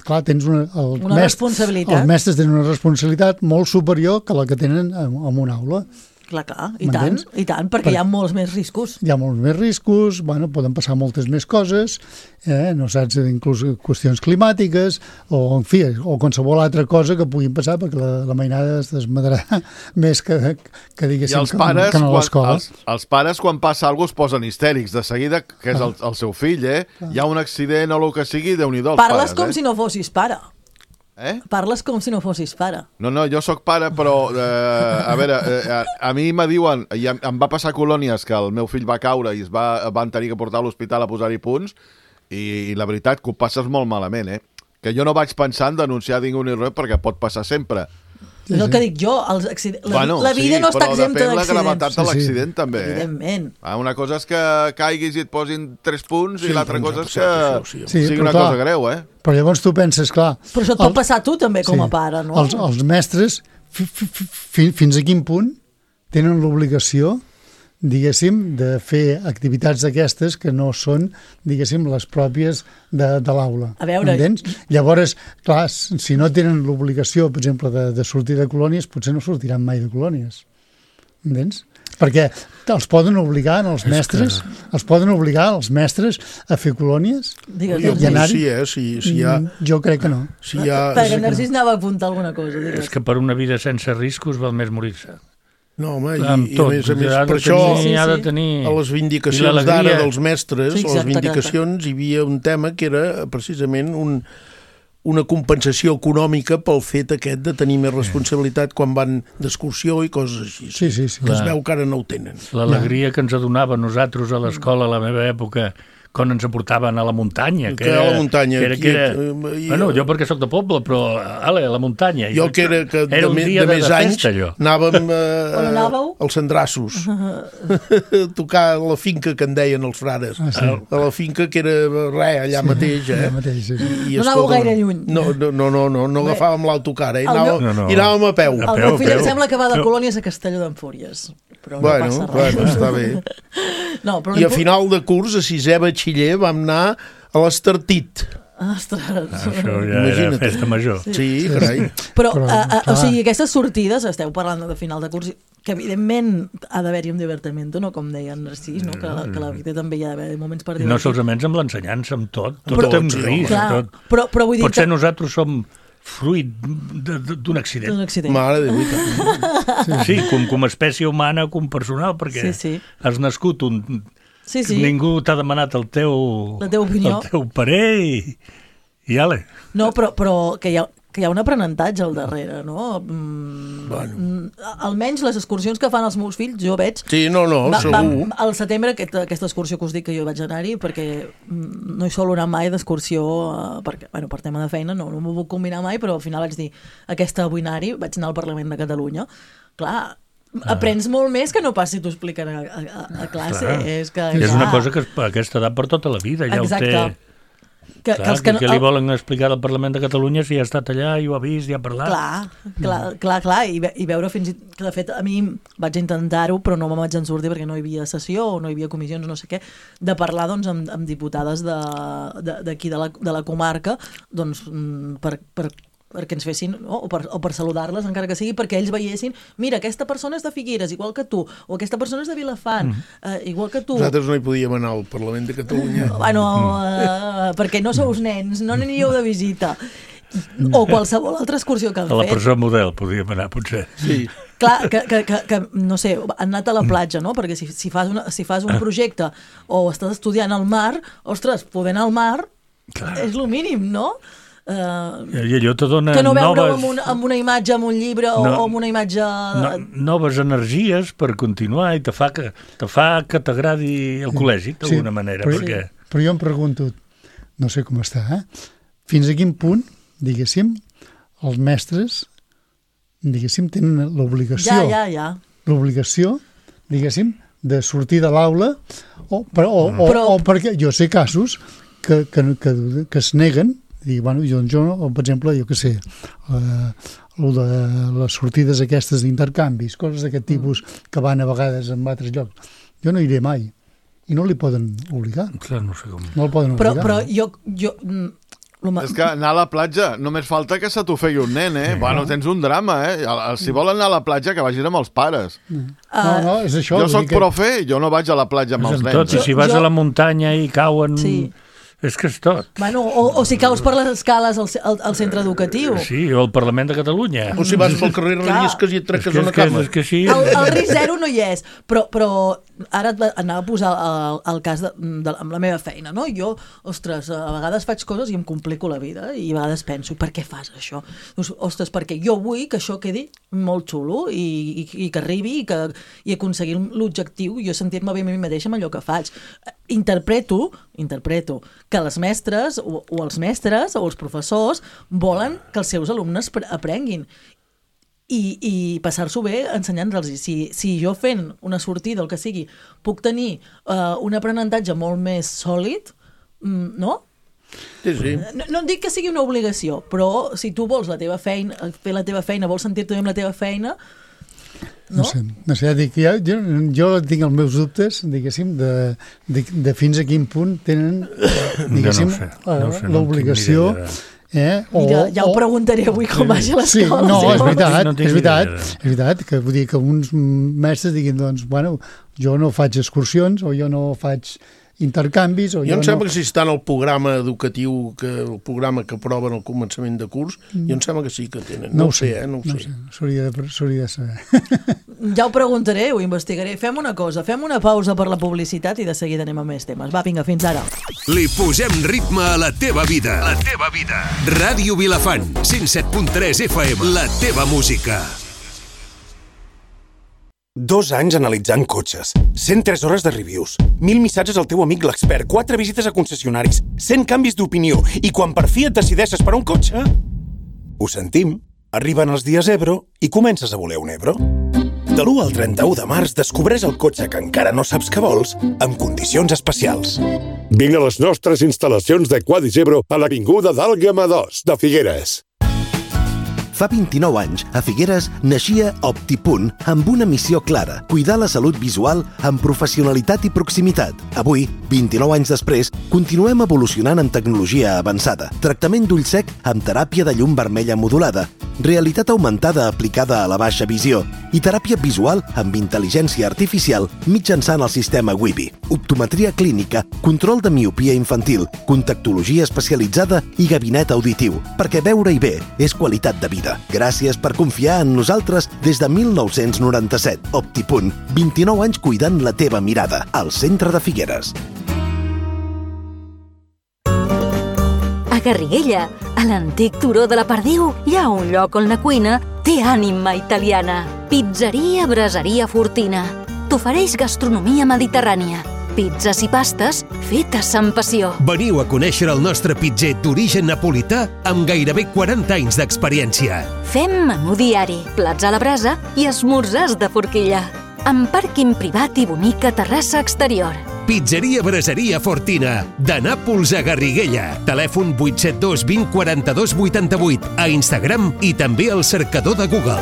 S7: clar, tens una... El
S4: una
S7: mest...
S4: responsabilitat.
S7: Els mestres tenen una responsabilitat molt superior que la que tenen en, en una aula.
S4: Clar, clar, i tant, i tant, perquè per... hi ha molts més riscos.
S7: Hi ha molts més riscos, bueno, poden passar moltes més coses, eh? No saps, inclús qüestions climàtiques, o, en fi, o qualsevol altra cosa que puguin passar, perquè la, la mainada es desmadrarà més que, que diguéssim,
S8: els pares,
S7: que, que no a l'escola.
S8: Els, els pares, quan passa alguna cosa, es posen histèrics, de seguida, que és el, el seu fill, eh? Hi ha un accident o el que sigui, Déu-n'hi-do els
S4: Parles
S8: pares,
S4: com
S8: eh?
S4: si no fossis pare.
S8: Eh?
S4: Parles com si no fossis pare.
S8: No, no, jo sóc pare, però eh, a veure, eh, a, a mi me diuen, i em, em va passar a colònies que el meu fill va caure i es va, van tenir que portar a l'hospital a posar-hi punts, i, i la veritat que ho passes molt malament, eh? Que jo no vaig pensar en denunciar ningú ni res perquè pot passar sempre.
S4: Sí, és el que dic jo, els accident... la,
S8: bueno,
S4: la vida
S8: sí,
S4: no està exempta d'accidents.
S8: Però depèn la gravetat de l'accident, sí, sí. també. Eh?
S4: Evidentment.
S8: Ah, una cosa és que caiguis i et posin tres punts, sí, i l'altra cosa és que
S6: això, sí,
S8: sí, sigui una clar, cosa greu, eh?
S7: Però llavors tu penses, clar...
S4: Però això et pot el, passar a tu també com sí, a pare, no?
S7: Els, els mestres, fi, fi, fi, fins a quin punt tenen l'obligació diguéssim, de fer activitats d'aquestes que no són, diguéssim, les pròpies de, de l'aula.
S4: A veure...
S7: Entens? Llavors, clar, si no tenen l'obligació, per exemple, de, de sortir de colònies, potser no sortiran mai de colònies. Entens? Perquè els poden obligar els mestres, que... els poden obligar els mestres a fer colònies?
S6: Digues, jo crec sí, eh? Si, si ha...
S7: Jo crec que no.
S6: Si ha...
S4: Perquè Narcís anava a apuntar alguna cosa. Digues.
S5: És que per una vida sense riscos val més morir-se.
S6: No, home, i,
S5: amb tot,
S6: i a més a més, per
S5: tenir,
S6: això
S5: sí, sí. De tenir...
S6: a les vindicacions d'ara dels mestres,
S4: sí, exacte,
S6: a les vindicacions hi havia un tema que era precisament un... una compensació econòmica pel fet aquest de tenir més responsabilitat quan van d'excursió i coses així.
S7: Sí, sí, sí.
S6: Que es veu que ara no ho tenen.
S5: L'alegria que ens adonava nosaltres a l'escola a la meva època quan ens aportaven a la muntanya. Que,
S6: que era, a la muntanya.
S5: Que era, que era, i, bueno, jo perquè sóc de poble, però ale, a la muntanya.
S6: Jo que era que
S5: era
S6: de, de, de més anys festa, anàvem eh, als Sandrassos a tocar a la finca que en deien els frares. Ah, sí. A la finca que era res, allà sí, mateix. Eh?
S7: Allà mateix sí.
S4: I, no anàveu gaire lluny.
S6: No, no, no, no, no, no agafàvem l'autocar, eh? Anàvem, no, no. I anàvem a peu.
S4: El meu fill em sembla que va de colònies a Castelló d'Empúries. Però no
S6: bueno,
S4: passa res.
S6: Bueno, està bé.
S4: No, però
S6: I a final de curs, a sisè batxiller, vam anar a l'Estartit.
S4: Ostres.
S5: Això ja Imagina't. Era festa major.
S6: Sí, sí, carai.
S4: Però, però a, a, o sigui, aquestes sortides, esteu parlant de final de curs, que evidentment ha d'haver-hi un divertiment, no? Com deia en Narcís, no? que, que la vida també hi ha d'haver moments per divertir.
S5: No solament amb l'ensenyança, amb tot. Tot però, amb risc. Tot.
S4: Però, però vull dir
S5: Potser
S4: que...
S5: nosaltres som fruit d'un accident.
S4: D'un accident.
S6: Mare de veritat.
S5: Sí, sí com, com a espècie humana, com personal, perquè sí, sí. has nascut un... Sí, sí. Ningú t'ha demanat el teu...
S4: La teva opinió.
S5: El teu parer i... i ale.
S4: No, però, però que, hi ha, que hi ha un aprenentatge al darrere, no? Mm, bueno. Almenys les excursions que fan els meus fills, jo veig...
S6: Sí, no, no, va, segur.
S4: Va, al setembre, aquesta, aquesta excursió que us dic que jo vaig anar-hi, perquè no hi solo anar mai d'excursió, eh, perquè, bueno, per tema de feina, no, no m'ho puc combinar mai, però al final vaig dir, aquesta vull anar-hi, vaig anar al Parlament de Catalunya. Clar, ah. aprens molt més que no pas si t'ho expliquen a, a, a classe. Clar. És, que,
S5: és una cosa que a aquesta edat per tota la vida ja
S4: Exacte.
S5: ho té... Que, clar, que, els que, no, que li volen explicar al Parlament de Catalunya si ha estat allà i ho ha vist i ha parlat.
S4: Clar, clar, clar, clar i, ve, i veure fins i que de fet a mi vaig intentar-ho però no me'n vaig en sortir perquè no hi havia sessió o no hi havia comissions no sé què, de parlar doncs amb, amb diputades d'aquí de, de, de, la, de la comarca doncs per, per perquè ens fessin, no? o per, o per saludar-les encara que sigui, perquè ells veiessin mira, aquesta persona és de Figueres, igual que tu o aquesta persona és de Vilafant, mm. eh, igual que tu.
S6: Nosaltres no hi podíem anar al Parlament de Catalunya.
S4: Bueno, eh, perquè no sous nens, no n'aniríeu de visita. O qualsevol altra excursió que han fet.
S5: A la presó model podíem anar, potser.
S6: Sí.
S4: Clar, que, que, que, que, no sé, han anat a la platja, no? Perquè si, si, fas, una, si fas un projecte o estàs estudiant al mar, ostres, poder anar al mar Clar. és el mínim, no?
S5: Uh, I allò te dona
S4: que no veure
S5: noves...
S4: amb, un, amb una imatge, amb un llibre o, no, o amb una imatge...
S5: No, noves energies per continuar i te fa que, te fa que t'agradi el col·legi, d'alguna sí, manera.
S7: Però,
S5: perquè...
S7: però jo em pregunto, no sé com està, eh? Fins a quin punt, diguéssim, els mestres, diguéssim, tenen l'obligació...
S4: Ja, ja, ja.
S7: L'obligació, diguéssim, de sortir de l'aula o, o, o, però... o perquè jo sé casos que, que, que, que es neguen i, bueno, jo, jo, per exemple, jo què sé, eh, de les sortides aquestes d'intercanvis, coses d'aquest tipus que van a vegades en altres llocs, jo no iré mai i no li poden obligar.
S5: Clar, no sé com.
S7: No el poden
S4: però,
S7: obligar.
S4: Però jo... jo
S8: és que anar a la platja, només falta que se t'ho feia un nen, eh? Sí, bueno, tens un drama, eh? Si volen anar a la platja, que vagin amb els pares.
S7: No, no, és això.
S8: Jo soc que... profe, jo no vaig a la platja amb els nens.
S5: Tot, i si vas jo... a la muntanya i cauen... Sí. És que és tot.
S4: Bueno, o, o si caus per les escales al, al, al centre educatiu.
S5: Sí, o al Parlament de Catalunya.
S6: O si vas pel carrer rellisques i et treques una cama.
S5: És que sí.
S4: El, el risc zero no hi és, però, però ara anava a posar el, el cas de, de, amb la meva feina, no? Jo, ostres, a vegades faig coses i em complico la vida i a vegades penso, per què fas això? Dius, ostres, perquè jo vull que això quedi molt xulo i, i, i que arribi i, que, i aconseguir l'objectiu i jo sentir-me bé a mi mateixa amb allò que faig. Interpreto, interpreto que les mestres o, o els mestres o els professors volen que els seus alumnes aprenguin i, i passar-s'ho bé ensenyant-los. Si, si jo fent una sortida, el que sigui, puc tenir uh, un aprenentatge molt més sòlid, no?
S6: Sí, sí.
S4: No, no dic que sigui una obligació, però si tu vols la teva feina, fer la teva feina, vols sentir-te bé amb la teva feina,
S7: No, no sé, no sé, dic, jo, jo, jo tinc els meus dubtes, diguéssim, de, de, de fins a quin punt tenen, diguéssim,
S5: no sé, no sé,
S7: l'obligació... Eh? O,
S4: Mira, ja ho preguntaré avui com vagi l'escola.
S7: Sí, no, és veritat,
S5: no
S7: és veritat, és veritat, que vull dir que uns mestres diguin, doncs, bueno, jo no faig excursions o jo no faig intercanvis... O
S6: jo,
S7: jo
S6: em sembla
S7: no...
S6: que si està en el programa educatiu, que el programa que aproven al començament de curs, mm. jo em sembla que sí que tenen. No, no ho sé, eh? No ho
S7: no
S6: sé.
S7: sé. S'hauria de, s'hauria de saber.
S4: Ja ho preguntaré, ho investigaré. Fem una cosa, fem una pausa per la publicitat i de seguida anem a més temes. Va, vinga, fins ara.
S9: Li posem ritme a la teva vida. La teva vida. Ràdio Vilafant, cent set punt tres F M. La teva música.
S10: Dos anys analitzant cotxes, cent tres hores de reviews, mil missatges al teu amic l'expert, quatre visites a concessionaris, cent canvis d'opinió, i quan per fi et decideixes per un cotxe... Ho sentim, arriben els dies Ebro i comences a voler un Ebro. De l'u al trenta-u de març descobreix el cotxe que encara no saps que vols amb condicions especials.
S11: Vinc a les nostres instal·lacions de Quadis Ebro a l'Avinguda d'Àlgama dos, de Figueres.
S12: Fa vint-i-nou anys, a Figueres, naixia OptiPunt amb una missió clara, cuidar la salut visual amb professionalitat i proximitat. Avui, vint-i-nou anys després, continuem evolucionant en tecnologia avançada, tractament d'ull sec amb teràpia de llum vermella modulada, realitat augmentada aplicada a la baixa visió i teràpia visual amb intel·ligència artificial mitjançant el sistema Wibi, optometria clínica, control de miopia infantil, contactologia especialitzada i gabinet auditiu, perquè veure-hi bé és qualitat de vida. Gràcies per confiar en nosaltres des de mil nou-cents noranta-set. OptiPunt, vint-i-nou anys cuidant la teva mirada, al centre de Figueres.
S2: A Garriguella, a l'antic turó de la Perdiu, hi ha un lloc on la cuina té ànima italiana. Pizzeria Braseria Fortina. T'ofereix gastronomia mediterrània. Pizzas i pastes fetes amb passió.
S9: Veniu a conèixer el nostre pitzer d'origen napolità amb gairebé quaranta anys d'experiència.
S2: Fem menú diari, plats a la brasa i esmorzars de forquilla. Amb pàrquing privat i bonica terrassa exterior.
S9: Pizzeria Braseria Fortina, de Nàpols a Garriguella. Telèfon vuit set dos vint quaranta-dos vuitanta-vuit, a Instagram i també al cercador de Google.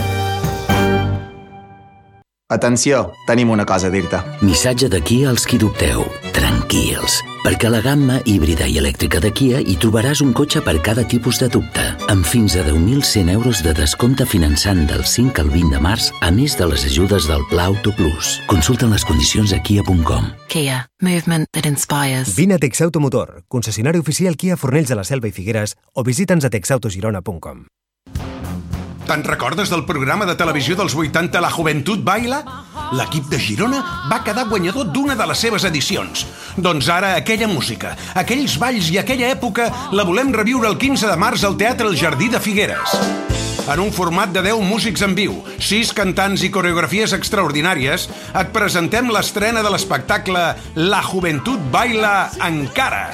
S13: Atenció, tenim una cosa a dir-te.
S14: Missatge de Kia als qui dubteu. Tranquils, perquè a la gamma híbrida i elèctrica de Kia hi trobaràs un cotxe per cada tipus de dubte, amb fins a deu mil cent euros de descompte finançant del cinc al vint de març, a més de les ajudes del Pla Auto Plus. Consulta les condicions a kia punt com.
S15: Kia, movement that inspires.
S16: Vine a Texauto Motor, concessionari oficial Kia Fornells de la Selva i Figueres, o visita'ns a texautogirona punt com.
S17: Te'n recordes del programa de televisió dels vuitanta La Joventut Baila? L'equip de Girona va quedar guanyador d'una de les seves edicions. Doncs ara aquella música, aquells balls i aquella època la volem reviure el quinze de març al Teatre El Jardí de Figueres. En un format de deu músics en viu, sis cantants i coreografies extraordinàries, et presentem l'estrena de l'espectacle La Joventut Baila Encara.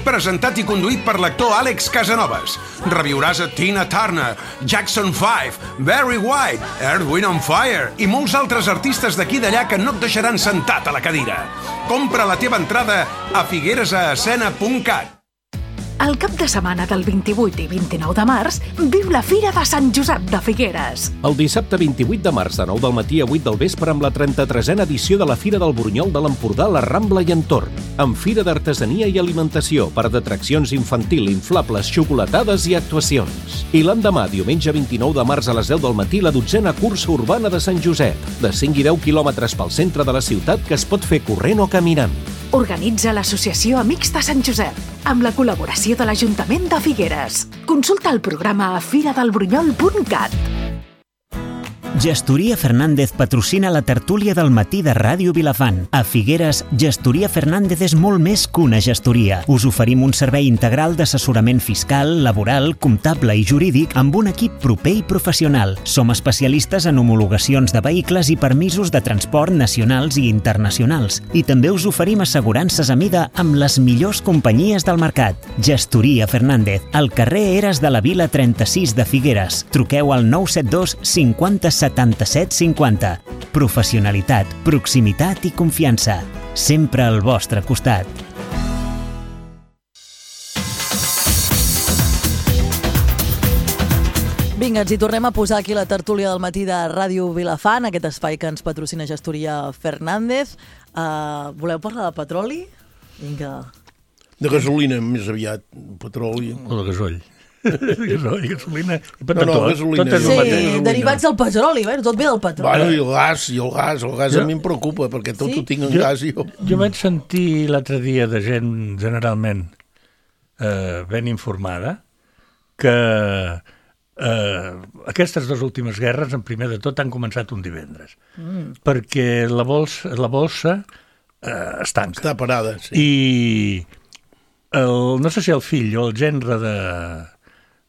S17: Presentat i conduït per l'actor Àlex Casanovas. Reviuràs a Tina Turner, Jackson five, Barry White, Earth, Wind and Fire i molts altres artistes d'aquí i d'allà que no et deixaran sentat a la cadira. Compra la teva entrada a figueres a escena punt cat.
S18: El cap de setmana del vint-i-vuit i vint-i-nou de març, viu la Fira de Sant Josep de Figueres.
S19: El dissabte vint-i-vuit de març, de nou del matí a vuit del vespre, amb la trenta-tresena edició de la Fira del Burunyol de l'Empordà, la Rambla i entorn, amb fira d'artesania i alimentació, parc d'atraccions infantil, inflables, xocolatades i actuacions. I l'endemà, diumenge vint-i-nou de març a les deu del matí, la dotzena cursa urbana de Sant Josep, de cinc i deu quilòmetres pel centre de la ciutat que es pot fer corrent o caminant.
S18: Organitza l'Associació Amics de Sant Josep, amb la col·laboració de l'Ajuntament de Figueres. Consulta el programa a firadelburunyol punt cat.
S3: Gestoria Fernández patrocina la tertúlia del matí de Ràdio Vilafant. A Figueres, Gestoria Fernández és molt més que una gestoria. Us oferim un servei integral d'assessorament fiscal, laboral, comptable i jurídic amb un equip proper i professional. Som especialistes en homologacions de vehicles i permisos de transport nacionals i internacionals. I també us oferim assegurances a mida amb les millors companyies del mercat. Gestoria Fernández, al carrer Eres de la Vila trenta-sis de Figueres. Truqueu al nou set dos cinquanta setanta-set cinquanta. Professionalitat, proximitat i confiança. Sempre al vostre costat.
S4: Vinga, Vinga, ens hi tornem a posar aquí la tertúlia del matí de Ràdio Vilafant, aquest espai que ens patrocina Gestoria Fernández. Uh, voleu parlar de petroli? Vinga.
S6: De gasolina, més aviat. Petroli.
S5: O de gasoll. Gasoll, gasolina...
S6: No, no, gasolina.
S4: Tot és sí, gasolina. Derivats del petroli, bé, tot ve del petroli.
S6: Bueno, i el gas, i el gas, el gas jo, a mi em preocupa, perquè tot sí? ho tinc en jo, gas i jo...
S5: Jo vaig sentir l'altre dia de gent generalment eh, ben informada que eh, aquestes dues últimes guerres, en primer de tot, han començat un divendres. Mm. Perquè la bolsa, la bolsa eh, es tanca.
S6: Està parada, sí.
S5: I el, no sé si el fill o el gendre de...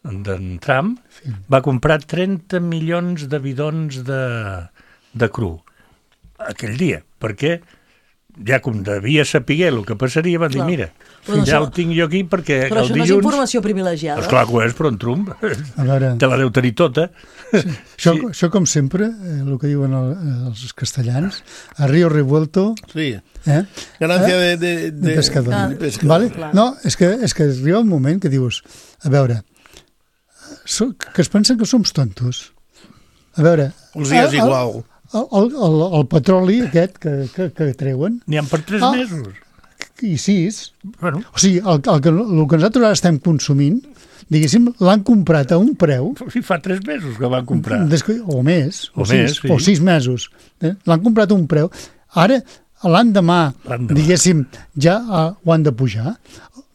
S5: d'en Trump, sí. va comprar trenta milions de bidons de, de cru aquell dia, perquè ja com devia saber el que passaria, van dir, clar. mira, però ja això, ho tinc jo aquí perquè
S4: però
S5: el
S4: dilluns... Però això no és informació privilegiada.
S5: Esclar que ho és, però en Trump veure, te la deu tenir tota.
S7: Sí. Això, sí. això, com sempre, eh, el que diuen el, els castellans, a Río Revuelto...
S6: Sí,
S7: eh?
S6: ganancia eh? de, de, de,
S7: de pescador.
S6: Ah. De pescador.
S7: Vale? No, és que, és que arriba un moment que dius, a veure, que es pensen que som tontos. A veure...
S6: Els dies el, igual.
S7: El, el, el, el petroli aquest que, que, que treuen...
S5: N'hi ha per tres ah, mesos.
S7: I sis.
S5: Bueno.
S7: O sigui, el, el, que, el que nosaltres ara estem consumint, diguéssim, l'han comprat a un preu...
S5: Sí, fa tres mesos que van comprar.
S7: Que, o més.
S5: O,
S7: o,
S5: més,
S7: sis,
S5: sí.
S7: o sis mesos. Eh? L'han comprat a un preu. Ara, l'endemà, diguéssim, ja uh, ho han de pujar.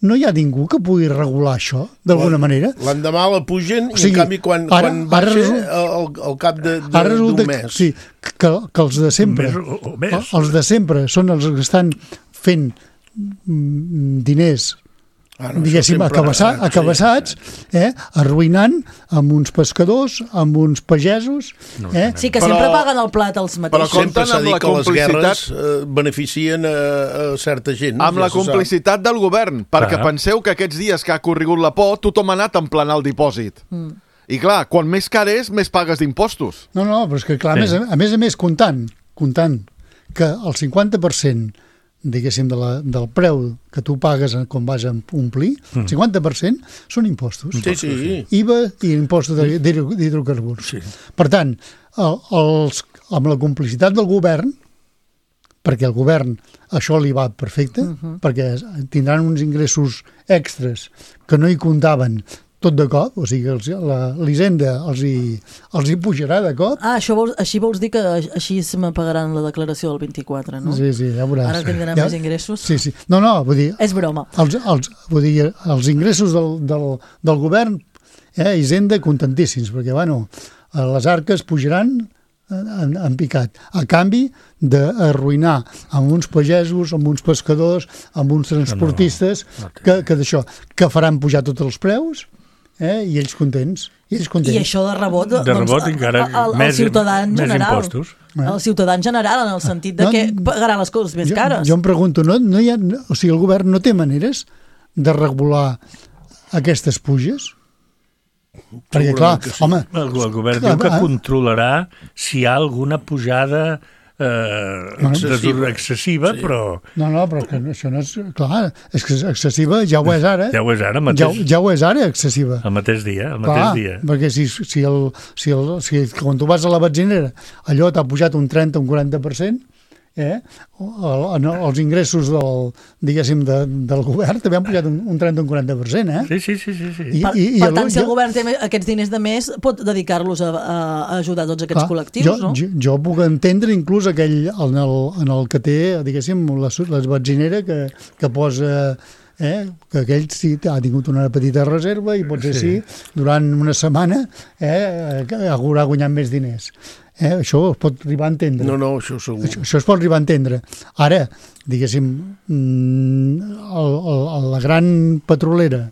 S7: No hi ha ningú que pugui regular això, d'alguna manera?
S6: L'endemà la pugen, o sigui, i en canvi quan, ara, quan baixa resulta, el, el cap d'un mes.
S7: Sí, que, que els de sempre,
S5: mes, o, o mes.
S7: els de sempre són els que estan fent diners, ah, no, diguéssim, acabassats, eh, acabassats sí. eh, arruïnant amb uns pescadors, amb uns pagesos.
S5: No,
S7: eh?
S4: Sí, que però, sempre paguen el plat els mateixos.
S6: Però sempre s'ha dit que les guerres eh, beneficien a, a certa gent.
S8: Amb ja la complicitat del govern, perquè clar. Penseu que aquests dies que ha corregut la por, tothom ha anat a emplenar el dipòsit. Mm. I clar, quan més car és, més pagues d'impostos.
S7: No, no, però és que clar, sí. a, més, a més a més, comptant, comptant que el cinquanta per cent diguéssim, de la, del preu que tu pagues quan vas a omplir, el mm. cinquanta per cent són impostos.
S6: Sí, sí.
S7: I V A i impostos d'hidrocarburs.
S6: Sí.
S7: Per tant, el, els, amb la complicitat del govern, perquè el govern això li va perfecte, uh-huh. perquè tindran uns ingressos extras que no hi comptaven tot de cop, o sigui, l'Hisenda els, hi, els hi pujarà de cop.
S4: Ah, això vols, així vols dir que així se me pagaran la declaració del vint-i-quatre, no?
S7: Sí, sí, ja veuràs.
S4: Ara tindran ja, més ingressos?
S7: Sí, sí. No, no, vull dir...
S4: És broma.
S7: Els, els, vull dir, els ingressos del, del, del govern, eh, Hisenda, contentíssims, perquè, bueno, les arques pujaran en, en picat, a canvi d'arruïnar amb uns pagesos, amb uns pescadors, amb uns transportistes, no, no, no que, que d'això, que faran pujar tots els preus, eh? I ells contents. I, ells contents.
S4: I això de rebot,
S5: de
S4: doncs,
S5: rebot encara
S4: el, el,
S5: més,
S4: el ciutadà en
S5: més
S4: general.
S5: Impostos.
S4: El ciutadà en general, en el sentit de no, que pagaran les coses més
S7: jo,
S4: cares.
S7: Jo em pregunto, no, no hi ha, o sigui, el govern no té maneres de regular aquestes puges? Perquè, clar,
S6: sí.
S7: home...
S5: El, el govern clar, diu que controlarà si hi ha alguna pujada eh, excessiva, excessiva sí. però...
S7: No, no, però que això no és... Clar, és que excessiva ja ho és ara.
S5: Ja ho és ara, mateix.
S7: Ja, ja ho és ara, excessiva.
S5: El mateix dia, el
S7: clar,
S5: mateix dia.
S7: Perquè si, si, el, si, el, si quan tu vas a la benzinera allò t'ha pujat un trenta, un quaranta per cent, eh? El, el, els ingressos del, diguéssim, de, del govern també han pujat un, un trenta o un quaranta per cent, eh?
S5: Sí, sí, sí. sí, sí.
S4: I, per, i, i per tant, el, si el govern té aquests diners de més, pot dedicar-los a, a ajudar tots aquests clar, col·lectius,
S7: jo,
S4: no?
S7: Jo, jo puc entendre inclús aquell, en el, en el que té, diguéssim, les, les benzinera que, que posa... Eh, que aquell sí ha tingut una petita reserva i potser sí, sí durant una setmana eh, haurà guanyat més diners. Eh, això es pot arribar a entendre.
S6: No, no, això segur.
S7: Això, això es pot arribar a entendre. Ara, diguéssim, el, el, la gran petrolera,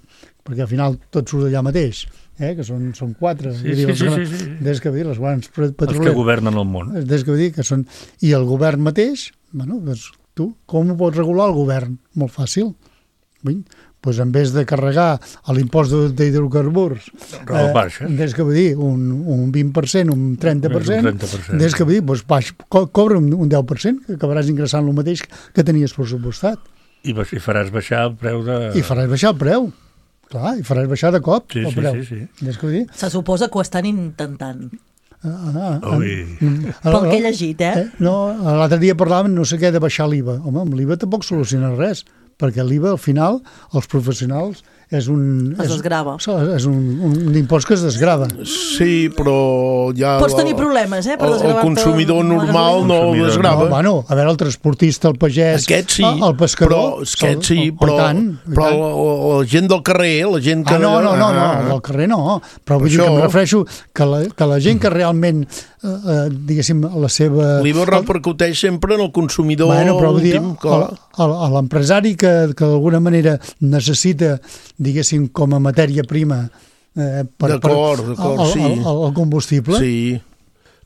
S7: perquè al final tot surt allà mateix, eh, que són, són quatre.
S5: Sí, sí,
S7: dir,
S5: sí, sí, sí.
S7: Des que dir, les grans petroleres.
S5: Els que governen el món.
S7: Des que dir que són... I el govern mateix, bueno, doncs, tu, com ho pots regular el govern? Molt fàcil. Doncs en vez de carregar l'impost d'hidrocarburs eh, des que vull dir un, un vint per cent, un trenta per cent, des que vull dir doncs, baix, co cobra un, un deu per cent que acabaràs ingressant el mateix que tenies pressupostat
S5: i, i faràs baixar el preu de...
S7: i faràs baixar el preu Clar, i faràs baixar de cop
S5: sí,
S7: el
S5: sí,
S7: preu.
S5: Sí, sí.
S7: És que ho dic?
S4: Se suposa que ho estan intentant.
S7: Ah, ah,
S5: Ui.
S4: Pel que he llegit, eh?
S7: eh? No, l'altre dia parlàvem, no sé què, de baixar l'I V A. Home, amb l'I V A tampoc soluciona res, perquè l'I V A, al final, els professionals és un...
S4: Es desgrava.
S7: És, és un, un impost que es desgrava.
S6: Sí, però ja...
S4: Pots tenir problemes, eh, per desgravar-te.
S6: El consumidor normal no el desgrava.
S7: No, bueno, a veure, el transportista, el pagès,
S6: aquest sí,
S7: el pescador...
S6: Però, aquest sí,
S7: el,
S6: però,
S7: tant,
S6: però la, la gent del carrer, la gent que...
S7: Ah, no, no, no, no, del carrer no, però vull dir que em refereixo que la, que la gent que realment, eh, eh, diguéssim, la seva...
S6: L'I V A repercuteix sempre en el consumidor
S7: bueno, però, dir,
S6: últim, clar.
S7: L'empresari que, que d'alguna manera necessita, diguéssim, com a matèria prima eh, per,
S6: d'acord, d'acord,
S7: el,
S6: sí.
S7: el, el, el combustible.
S6: Sí.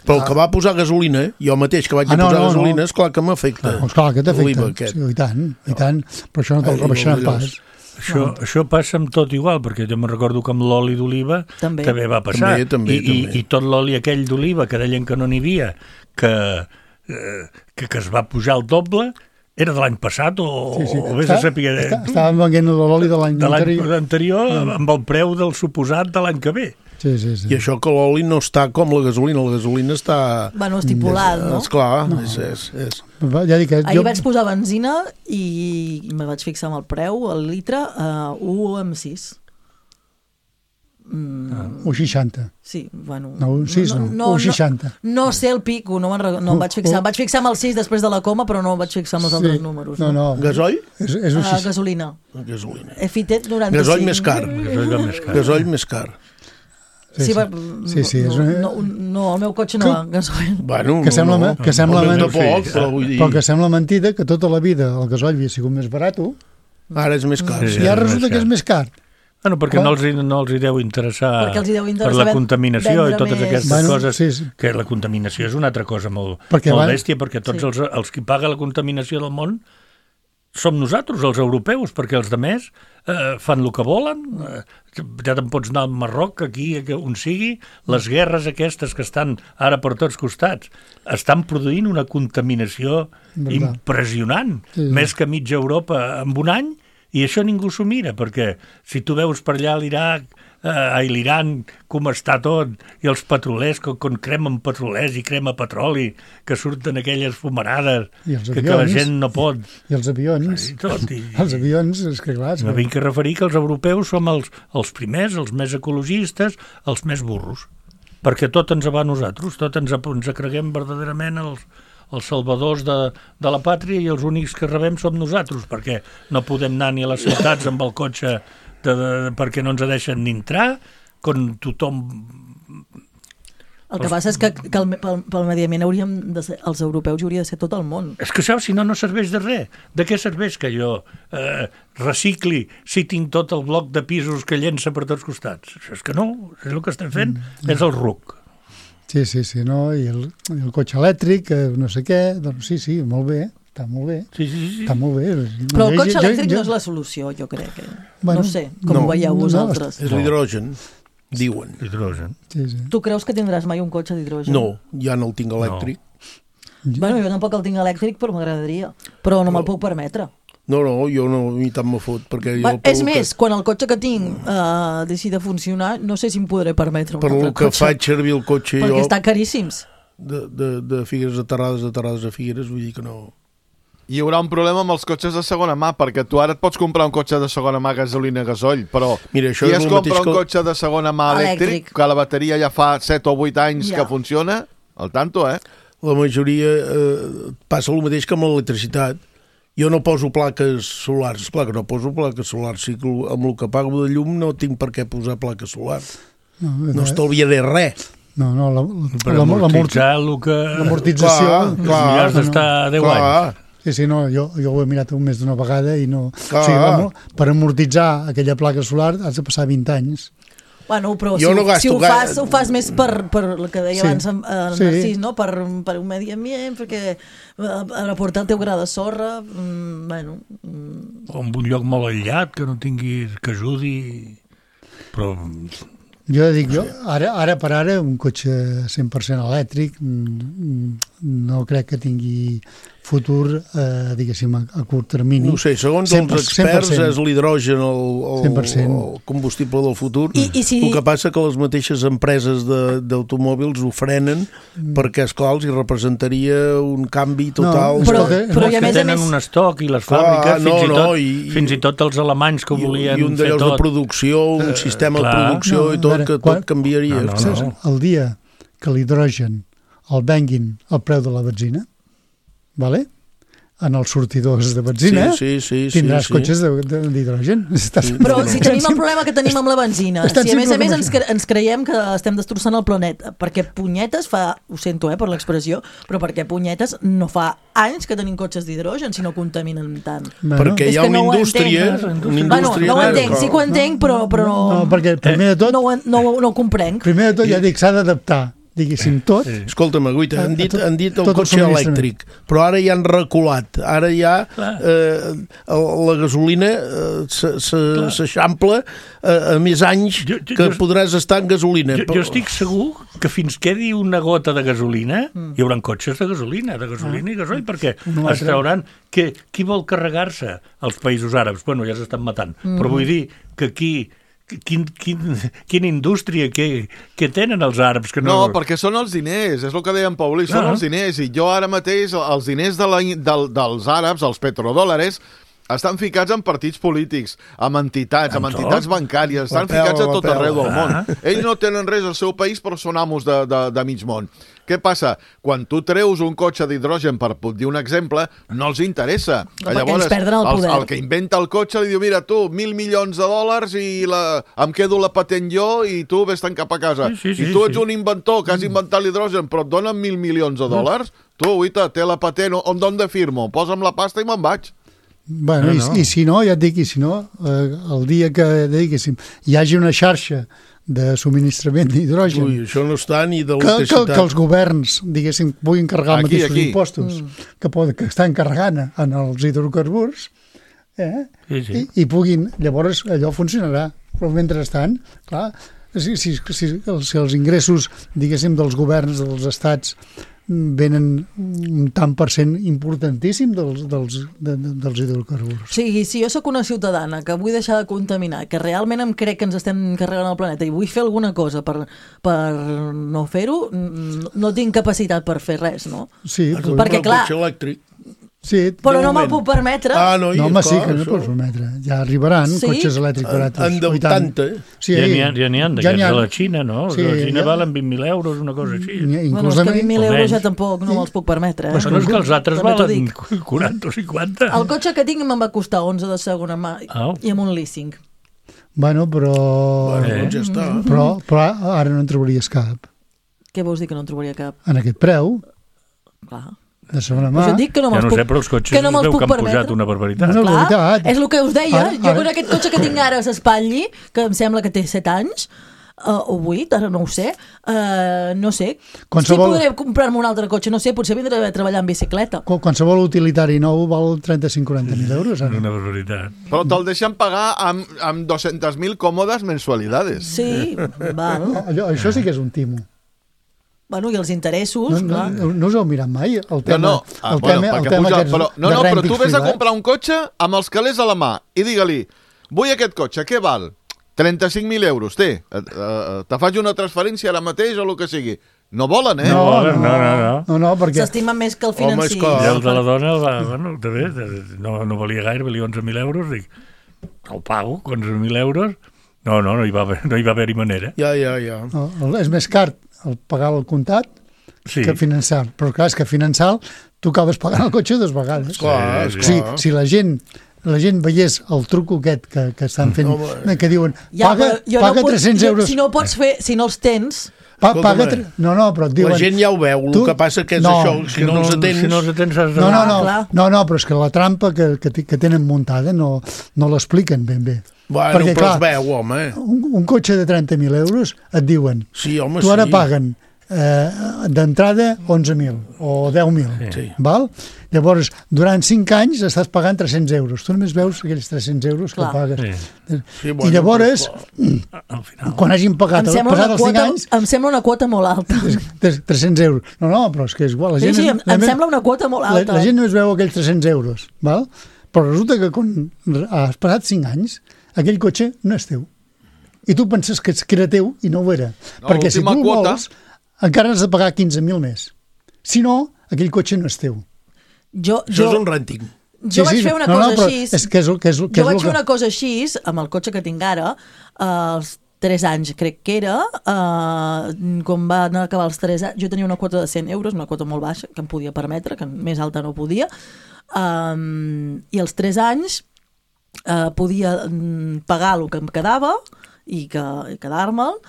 S6: Però el que va posar gasolina, jo mateix que vaig
S7: ah, no,
S6: posar
S7: no,
S6: gasolina,
S7: no.
S6: Esclar que m'afecta.
S7: Ah, esclar que t'afecta, sí, i tant, i tant. Però això no te'l rebaixaran pas.
S5: Això, ah. això passa amb tot igual, perquè jo me recordo que amb l'oli d'oliva també. també va passar.
S6: També, també,
S5: I,
S6: també.
S5: I, I tot l'oli aquell d'oliva que deien que no n'hi havia, que, eh, que, que es va pujar el doble, era de l'any passat o,
S7: sí, sí.
S5: o vés a saber...
S7: Està, estàvem venent l'oli de l'any anterior.
S5: De l'any anterior mm. amb el preu del suposat de l'any que ve.
S7: Sí, sí, sí.
S6: I això que l'oli no està com la gasolina, la gasolina està...
S4: Bueno, estipulat, no?
S6: Esclar,
S7: no.
S6: és... és, és.
S7: Ja dic que
S4: Ahir
S7: jo...
S4: vaig posar benzina i me vaig fixar amb el preu, el litre, a u coma sis.
S7: Mm. Ah. u coma seixanta.
S4: Sí, bueno...
S7: No, un sis no, no u coma seixanta.
S4: No, no sé el pico, no, no em vaig fixar. Em vaig fixar amb el sis després de la coma, però no em vaig fixar amb els sí. altres números.
S7: No, no.
S6: Gasoll?
S7: És, és
S4: uh, gasolina.
S6: Gasolina.
S4: He fitet noranta-cinc.
S6: Gasoll més car.
S5: Gasoll més car.
S6: Gasoll més car.
S7: Sí, sí, sí, sí,
S4: no,
S7: és...
S4: no, no, el meu cotxe no va gasoll.
S6: Bueno,
S7: que sembla,
S6: no,
S7: que sembla
S6: no,
S7: no,
S6: poc, però, vull dir...
S7: però que sembla mentida que tota la vida el gasoll havia sigut més barat.
S6: Ara és més car.
S7: Sí, I ara resulta que és més car.
S5: Bueno, perquè no els, no els hi deu interessar
S4: els hi deu interessar
S5: per la contaminació i totes
S4: més.
S5: aquestes
S7: bueno,
S5: coses,
S7: sí, sí.
S5: que la contaminació és una altra cosa molt,
S7: perquè
S5: molt
S7: van...
S5: bèstia, perquè tots sí. els, els que paga la contaminació del món som nosaltres, els europeus, perquè els demés eh, fan el que volen, eh, ja te'n pots anar al Marroc, aquí, on sigui, les guerres aquestes que estan ara per tots costats, estan produint una contaminació
S7: Verdad.
S5: impressionant, sí. més que mitja Europa en un any, i això ningú s'ho mira, perquè si tu veus per allà l'Iraq, eh, a l'Iran, com està tot, i els petrolers, que, quan cremen petrolers i crema petroli, que surten aquelles fumarades, que, que la gent no pot...
S7: I els avions.
S5: I tot, i...
S7: els avions, és que clar...
S5: No vinc a referir que els europeus som els, els primers, els més ecologistes, els més burros, perquè tot ens va a nosaltres, tot ens, ens creguem verdaderament els... els salvadors de, de la pàtria i els únics que rebem som nosaltres, perquè no podem anar ni a les ciutats amb el cotxe de, de, perquè no ens deixen ni entrar, quan tothom...
S4: El que passa és que, que el, pel, pel mediament hauríem de ser, els europeus hauria de ser tot el món.
S5: És que això, si no, no serveix de res. De què serveix que jo eh, recicli si tinc tot el bloc de pisos que llença per tots costats? Això és que no, és el que estem fent, mm. és el ruc.
S7: Sí, sí, sí, no? I el, el cotxe elèctric, no sé què, doncs sí, sí, molt bé, està molt bé.
S5: Sí, sí, sí.
S7: Està molt bé.
S4: Però el cotxe elèctric jo, jo... no és la solució, jo crec. Que... Bueno, no sé, com no, ho veieu vosaltres.
S6: No, és l'hidrogen, diuen.
S5: Hidrogen.
S7: Sí, sí.
S4: Tu creus que tindràs mai un cotxe d'hidrogen?
S6: No, ja no el tinc elèctric.
S4: No. Bueno, jo tampoc el tinc elèctric, però m'agradaria. Però no me'l puc permetre.
S6: No, no, jo no, ni tant me fot. Perquè jo,
S4: és més, que... quan el cotxe que tinc uh, deixi de funcionar, no sé si em podré permetre un
S6: per
S4: altre
S6: cotxe. Per el que faig servir el cotxe
S4: perquè
S6: jo...
S4: Perquè estan caríssims.
S6: De, de, de Figueres a Terrades, de Terrades a Figueres, vull dir que no...
S8: Hi haurà un problema amb els cotxes de segona mà, perquè tu ara et pots comprar un cotxe de segona mà gasolina gasoll, però
S6: Mira, això
S8: si
S6: és
S8: es compra un que... cotxe de segona mà elèctric, elèctric, que la bateria ja fa set o vuit anys ja. que funciona, al tanto, eh?
S6: La majoria eh, passa el mateix que amb l'electricitat. Jo no poso plaques solars, clar que no poso plaques solars, si amb el que pago de llum no tinc per què posar plaques solars. No, no estalviaré res.
S7: No, no, la,
S5: per la, amortitzar el que...
S7: L'amortització...
S5: Clar, clar, has d'estar deu anys.
S7: Sí, sí, no, jo, jo ho he mirat un mes d'una vegada i no... O sigui, per amortitzar aquella placa solar has de passar vint anys.
S4: Bueno, però jo si, no si ho, fas, ho fas més per, per el que deia sí. abans en, en sí. Narcís, no? per, per un medi ambient, perquè per aportar el teu gra de sorra, mm, bueno...
S5: Mm. O en un lloc molt aïllat, que no tinguis, que ajudi, però...
S7: Jo dic, jo, ara, ara per ara, un cotxe cent per cent elèctric no crec que tingui futur, eh, diguéssim, a, a curt termini.
S6: No sé, segons els experts
S7: cent per cent.
S6: És l'hidrogen el, el,
S7: cent per cent.
S6: el combustible del futur.
S4: I, i si...
S6: El que passa que les mateixes empreses d'automòbils ho frenen mm. perquè, esclar, els hi representaria un canvi total.
S5: No, però, però, però i a més a més... tenen un estoc i les fàbriques, ah, no, fins, i tot, no, i, fins i tot els alemanys que volien
S6: i un
S5: fer tot.
S6: De producció, un sistema uh, de producció no, i tot, veure, que quan, tot canviaria.
S7: No, no, no. El dia que l'hidrogen el venguin al preu de la benzina, vale? En els sortidors de benzina,
S6: sí, sí, sí,
S7: tindràs
S6: sí,
S7: cotxes d'hidrogen.
S4: Sí. Però si tenim el problema que tenim amb la benzina, si a més a més ens, cre ens creiem que estem destrossant el planeta, perquè punyetes fa, ho sento eh, per l'expressió, però perquè punyetes no fa anys que tenim cotxes d'hidrogen si no contaminen tant.
S6: Bueno. Perquè hi ha una
S4: no
S6: indústria... Una
S4: bueno, no ho entenc, sí que ho entenc, però, però no,
S7: no, perquè primer de tot...
S4: No, no, no ho comprenc.
S7: Primer de tot, ja dic, s'ha d'adaptar. Diguéssim, tot.
S6: Sí. Escolta'm, Guita, han dit, han dit el cotxe elèctric, però ara ja han reculat. Ara ja eh, la gasolina eh, s'eixampla eh, a més anys jo, jo, que jo, podràs estar en gasolina.
S5: Jo, jo estic segur que fins quedi una gota de gasolina mm. hi haurà cotxes de gasolina, de gasolina ah. i gasoil, perquè no es trauran que qui vol carregar-se als països àrabs? Bueno, ja s'estan matant, mm. però vull dir que aquí Quin, quin, quina indústria que, que tenen els àrabs que no...
S8: No, perquè són els diners, és el que deia en Paulí, són ah. els diners, i jo ara mateix els diners de la, del, dels àrabs, els petrodòlares, estan ficats en partits polítics, amb entitats, amb entitats bancàries, estan pela, ficats a tot arreu del món. Ah. Ells no tenen res al seu país, però són amos de, de, de mig món. Què passa? Quan tu treus un cotxe d'hidrogen, per dir un exemple, no els interessa.
S4: No, Llavors, el,
S8: el, el que inventa el cotxe li diu, mira, tu, mil milions de dòlars i la, em quedo la patent jo i tu vés-te'n cap a casa. Sí, sí, I tu ets sí. un inventor que has inventat l'hidrogen, però et donen mil milions de dòlars? Tu, Uita, té la patent, on, on de firmo? Posa'm la pasta i me'n vaig.
S7: Bueno, no, no. I, i si no, ja et dic, i si no, eh, el dia que diguéssim, hi hagi una xarxa de subministrament d'hidrogen.
S6: Ui, això no està ni de
S7: que, que, que els governs, diguéssim, puguin carregar els mateixos aquí. impostos mm. que, pot, que estan carregant en els hidrocarburs, eh? sí, sí. I, i puguin, llavors allò funcionarà. Però mentrestant, clar, si, si, si, si els ingressos, diguéssim, dels governs, dels estats, venen un tant per cent importantíssim dels, dels, de, dels hidrocarburs.
S4: Sí, si jo sóc una ciutadana que vull deixar de contaminar, que realment em crec que ens estem carregant el planeta i vull fer alguna cosa per, per no fer-ho, no tinc capacitat per fer res, no?
S7: Sí,
S4: perquè clar...
S6: El cotxe elèctric.
S7: Sí,
S4: però no me'l puc permetre.
S6: Ah, no,
S7: no home,
S6: clar,
S7: sí que no pots permetre. Ja arribaran sí? cotxes elèctrics baratos.
S6: En vuitanta.
S7: Sí,
S5: ja n'hi ha, ja n'hi ha d'aquests ja de la Xina, no? Sí, la Xina ja... valen vint mil euros, una cosa així.
S4: Bueno, és que vint mil euros ja tampoc no me'ls puc permetre. Eh?
S5: Però no és que els altres valen quaranta o cinquanta.
S4: El cotxe que tinc me'n va costar onze de segona mà oh. i amb un leasing.
S7: Bueno, però...
S6: Bueno, eh? ja està.
S7: Però, però ara no en trobaries cap.
S4: Què vols dir que no en trobaria cap?
S7: En aquest preu.
S4: Clar.
S7: De segona mà.
S4: Pues dic que no
S5: ja no
S4: puc,
S5: sé, però els cotxes es veu que han pujat una barbaritat.
S7: Una barbaritat.
S4: És el que us deia. Ara, jo ara... amb aquest cotxe que tinc ara s'espatlli, que em sembla que té set anys, uh, o vuit, ara no ho sé, uh, no sé.
S7: Qualsevol...
S4: Si podré comprar-me un altre cotxe, no sé, potser vindré a treballar en bicicleta.
S7: Qualsevol utilitari nou val trenta-cinc a quaranta mil euros. Ara.
S5: Una barbaritat.
S8: Però te'l deixen pagar amb, amb dos-centes mil còmodes mensualidades.
S4: Sí, val.
S7: Allò, això sí que és un timo.
S4: Bueno, i els interessos,
S7: no,
S4: clar.
S7: No, no us heu mirat mai? El tema,
S8: no, no. Ah,
S7: el
S8: bueno,
S7: tema, el tema
S8: puja,
S7: aquests
S8: però, no, no, però tu vés a
S7: privats.
S8: comprar un cotxe amb els calés a la mà i digue-li, vull aquest cotxe, què val? trenta-cinc mil euros, té. Uh, te faig una transferència ara mateix o el que sigui. No volen, eh?
S7: No, no, no. no, no. no, no perquè...
S4: S'estimen més que el financi.
S5: Home, I el de la dona, va, bueno, també, no, no valia gaire, valia onze mil euros, dic, el pago, onze mil euros. No, no, no hi va haver, no hi va haver-hi manera.
S6: Ja, ja, ja.
S7: No, és més car el pagar el comptat sí. que finançar. Però clar, és que finançar tu acabes pagant el cotxe dues vegades.
S6: Clar, sí,
S7: sí. Si, si la gent la gent veiés el truco aquest que, que estan fent, no, que diuen
S4: ja,
S7: paga, paga
S4: no
S7: tres-cents euros.
S4: Si no pots fer, si no els tens...
S7: Pa, paga tre... No, no, però et diuen...
S6: La gent ja ho veu, el tu... que passa que és no, això, si, si no, no els atens...
S5: Si no els atens has de...
S7: No, no, no, no, no, però és que la trampa que, que, que tenen muntada no, no l'expliquen ben bé.
S6: Bueno, perquè, però clar, es veu, home.
S7: Un, un cotxe de trenta mil euros et diuen,
S6: sí, home,
S7: tu ara
S6: sí.
S7: paguen eh, d'entrada onze mil o deu mil, sí. Val? Llavors, durant cinc anys estàs pagant tres-cents euros. Tu només veus aquells tres-cents euros que pagues. Sí. Sí, bueno, I llavors, però, quan hagin pagat
S4: passat
S7: els cinc anys...
S4: Em sembla una quota molt alta.
S7: tres-cents euros. No, no, però és que és igual. La gent,
S4: sí, sí, em, em sembla una quota molt alta.
S7: La, la gent només veu aquells tres-cents euros, val? Però resulta que quan has passat cinc anys, aquell cotxe no és teu. I tu penses que era teu i no ho era. No, perquè si tu el vols, encara has de pagar quinze mil més. Si no, aquell cotxe no és teu.
S4: Jo,
S6: Això
S4: jo,
S6: és un renting.
S4: Jo sí, vaig sí, fer una no, cosa no, així.
S7: És que és, que és, que
S4: jo vaig
S7: és
S4: fer una cosa així amb el cotxe que tinc ara, als tres anys crec que era, eh, quan van acabar els tres anys, jo tenia una quota de cent euros, una quota molt baixa, que em podia permetre, que més alta no podia, um, i als tres anys eh, podia pagar el que em quedava i, que, i quedar-me'l,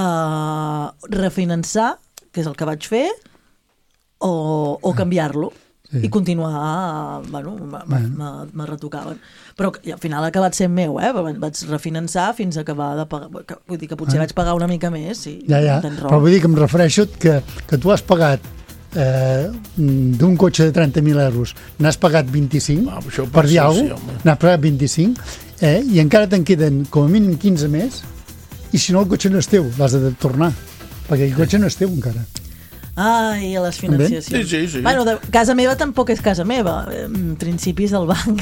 S4: eh, refinançar, que és el que vaig fer, o, o canviar-lo. Sí. I continuar, bueno, me retocaven. Però al final ha acabat sent meu, eh? Vaig refinançar fins a acabar de pagar. Vull dir que potser ah. vaig pagar una mica més. I
S7: ja, ja. Però vull dir que em refereixo que, que tu has pagat eh, d'un cotxe de trenta mil euros, n'has pagat vint-i-cinc, ah, per dir alguna cosa, n'has pagat vint-i-cinc, eh, i encara te'n queden com a mínim quinze més, i si no el cotxe no és teu, l'has de tornar, perquè el cotxe no és teu encara.
S4: Ai, a les financiacions.
S6: Sí, sí, sí.
S4: Bueno, de casa meva tampoc és casa meva. En principi és el banc.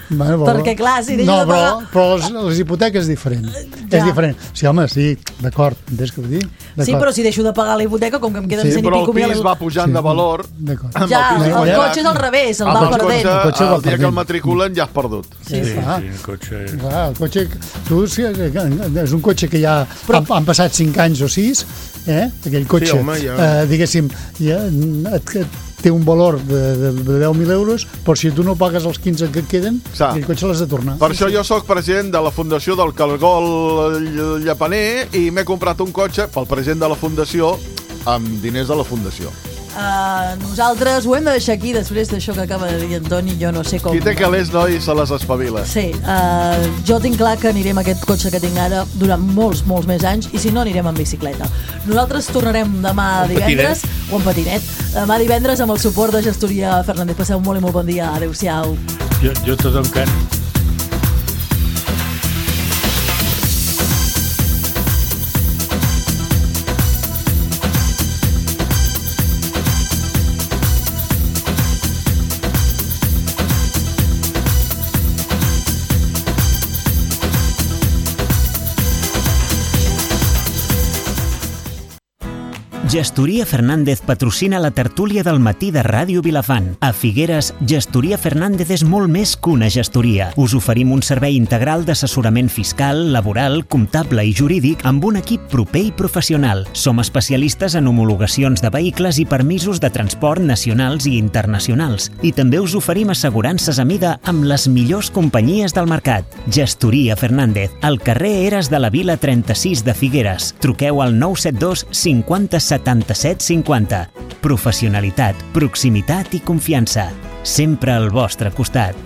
S7: Bueno,
S4: perquè, clar, si deixo
S7: no,
S4: de pagar...
S7: No, però, però les, les hipoteques és diferent. Ja. És diferent. Sí, home, sí, d'acord, entens què vull dir?
S4: Sí, però si deixo de pagar la hipoteca, com que em queden sí, cent i pico mil...
S8: Però el pis va pujant sí. de valor.
S4: Ja, el, el, el cotxe és al revés, el va perdent.
S8: El cotxe, el dia que el matriculen ja has perdut.
S4: Sí, sí.
S5: sí, el cotxe...
S7: Clar, el cotxe... Tu, sí, és un cotxe que ja però... han, han passat cinc anys o sis, eh? Aquell cotxe, sí, home, ja... eh, diguéssim, ja, et, et té un valor de, de, de deu mil euros, però si tu no pagues els quinze que et queden, Sa. aquell cotxe l'has de tornar.
S8: Per això jo sóc president de la Fundació del Cargol Llapaner i m'he comprat un cotxe pel president de la Fundació amb diners de la Fundació.
S4: Uh, nosaltres ho hem de deixar aquí després d'això que acaba de dir Antoni, jo no sé com...
S8: Qui té calés, noi, se les espavila.
S4: Sí, uh, jo tinc clar que anirem a aquest cotxe que tinc ara durant molts, molts més anys, i si no anirem en bicicleta. Nosaltres tornarem demà divendres, o en patinet, demà divendres amb el suport de Gestoria Fernández. Passeu molt i molt bon dia, adeu-siau.
S5: Jo, jo tot encara...
S3: Gestoria Fernández patrocina la tertúlia del matí de Ràdio Vilafant. A Figueres, Gestoria Fernández és molt més que una gestoria. Us oferim un servei integral d'assessorament fiscal, laboral, comptable i jurídic amb un equip proper i professional. Som especialistes en homologacions de vehicles i permisos de transport nacionals i internacionals. I també us oferim assegurances a mida amb les millors companyies del mercat. Gestoria Fernández, al carrer Eres de la Vila trenta-sis de Figueres. Truqueu al nou set dos cinquanta setanta-set cinquanta. Professionalitat, proximitat i confiança. Sempre al vostre costat.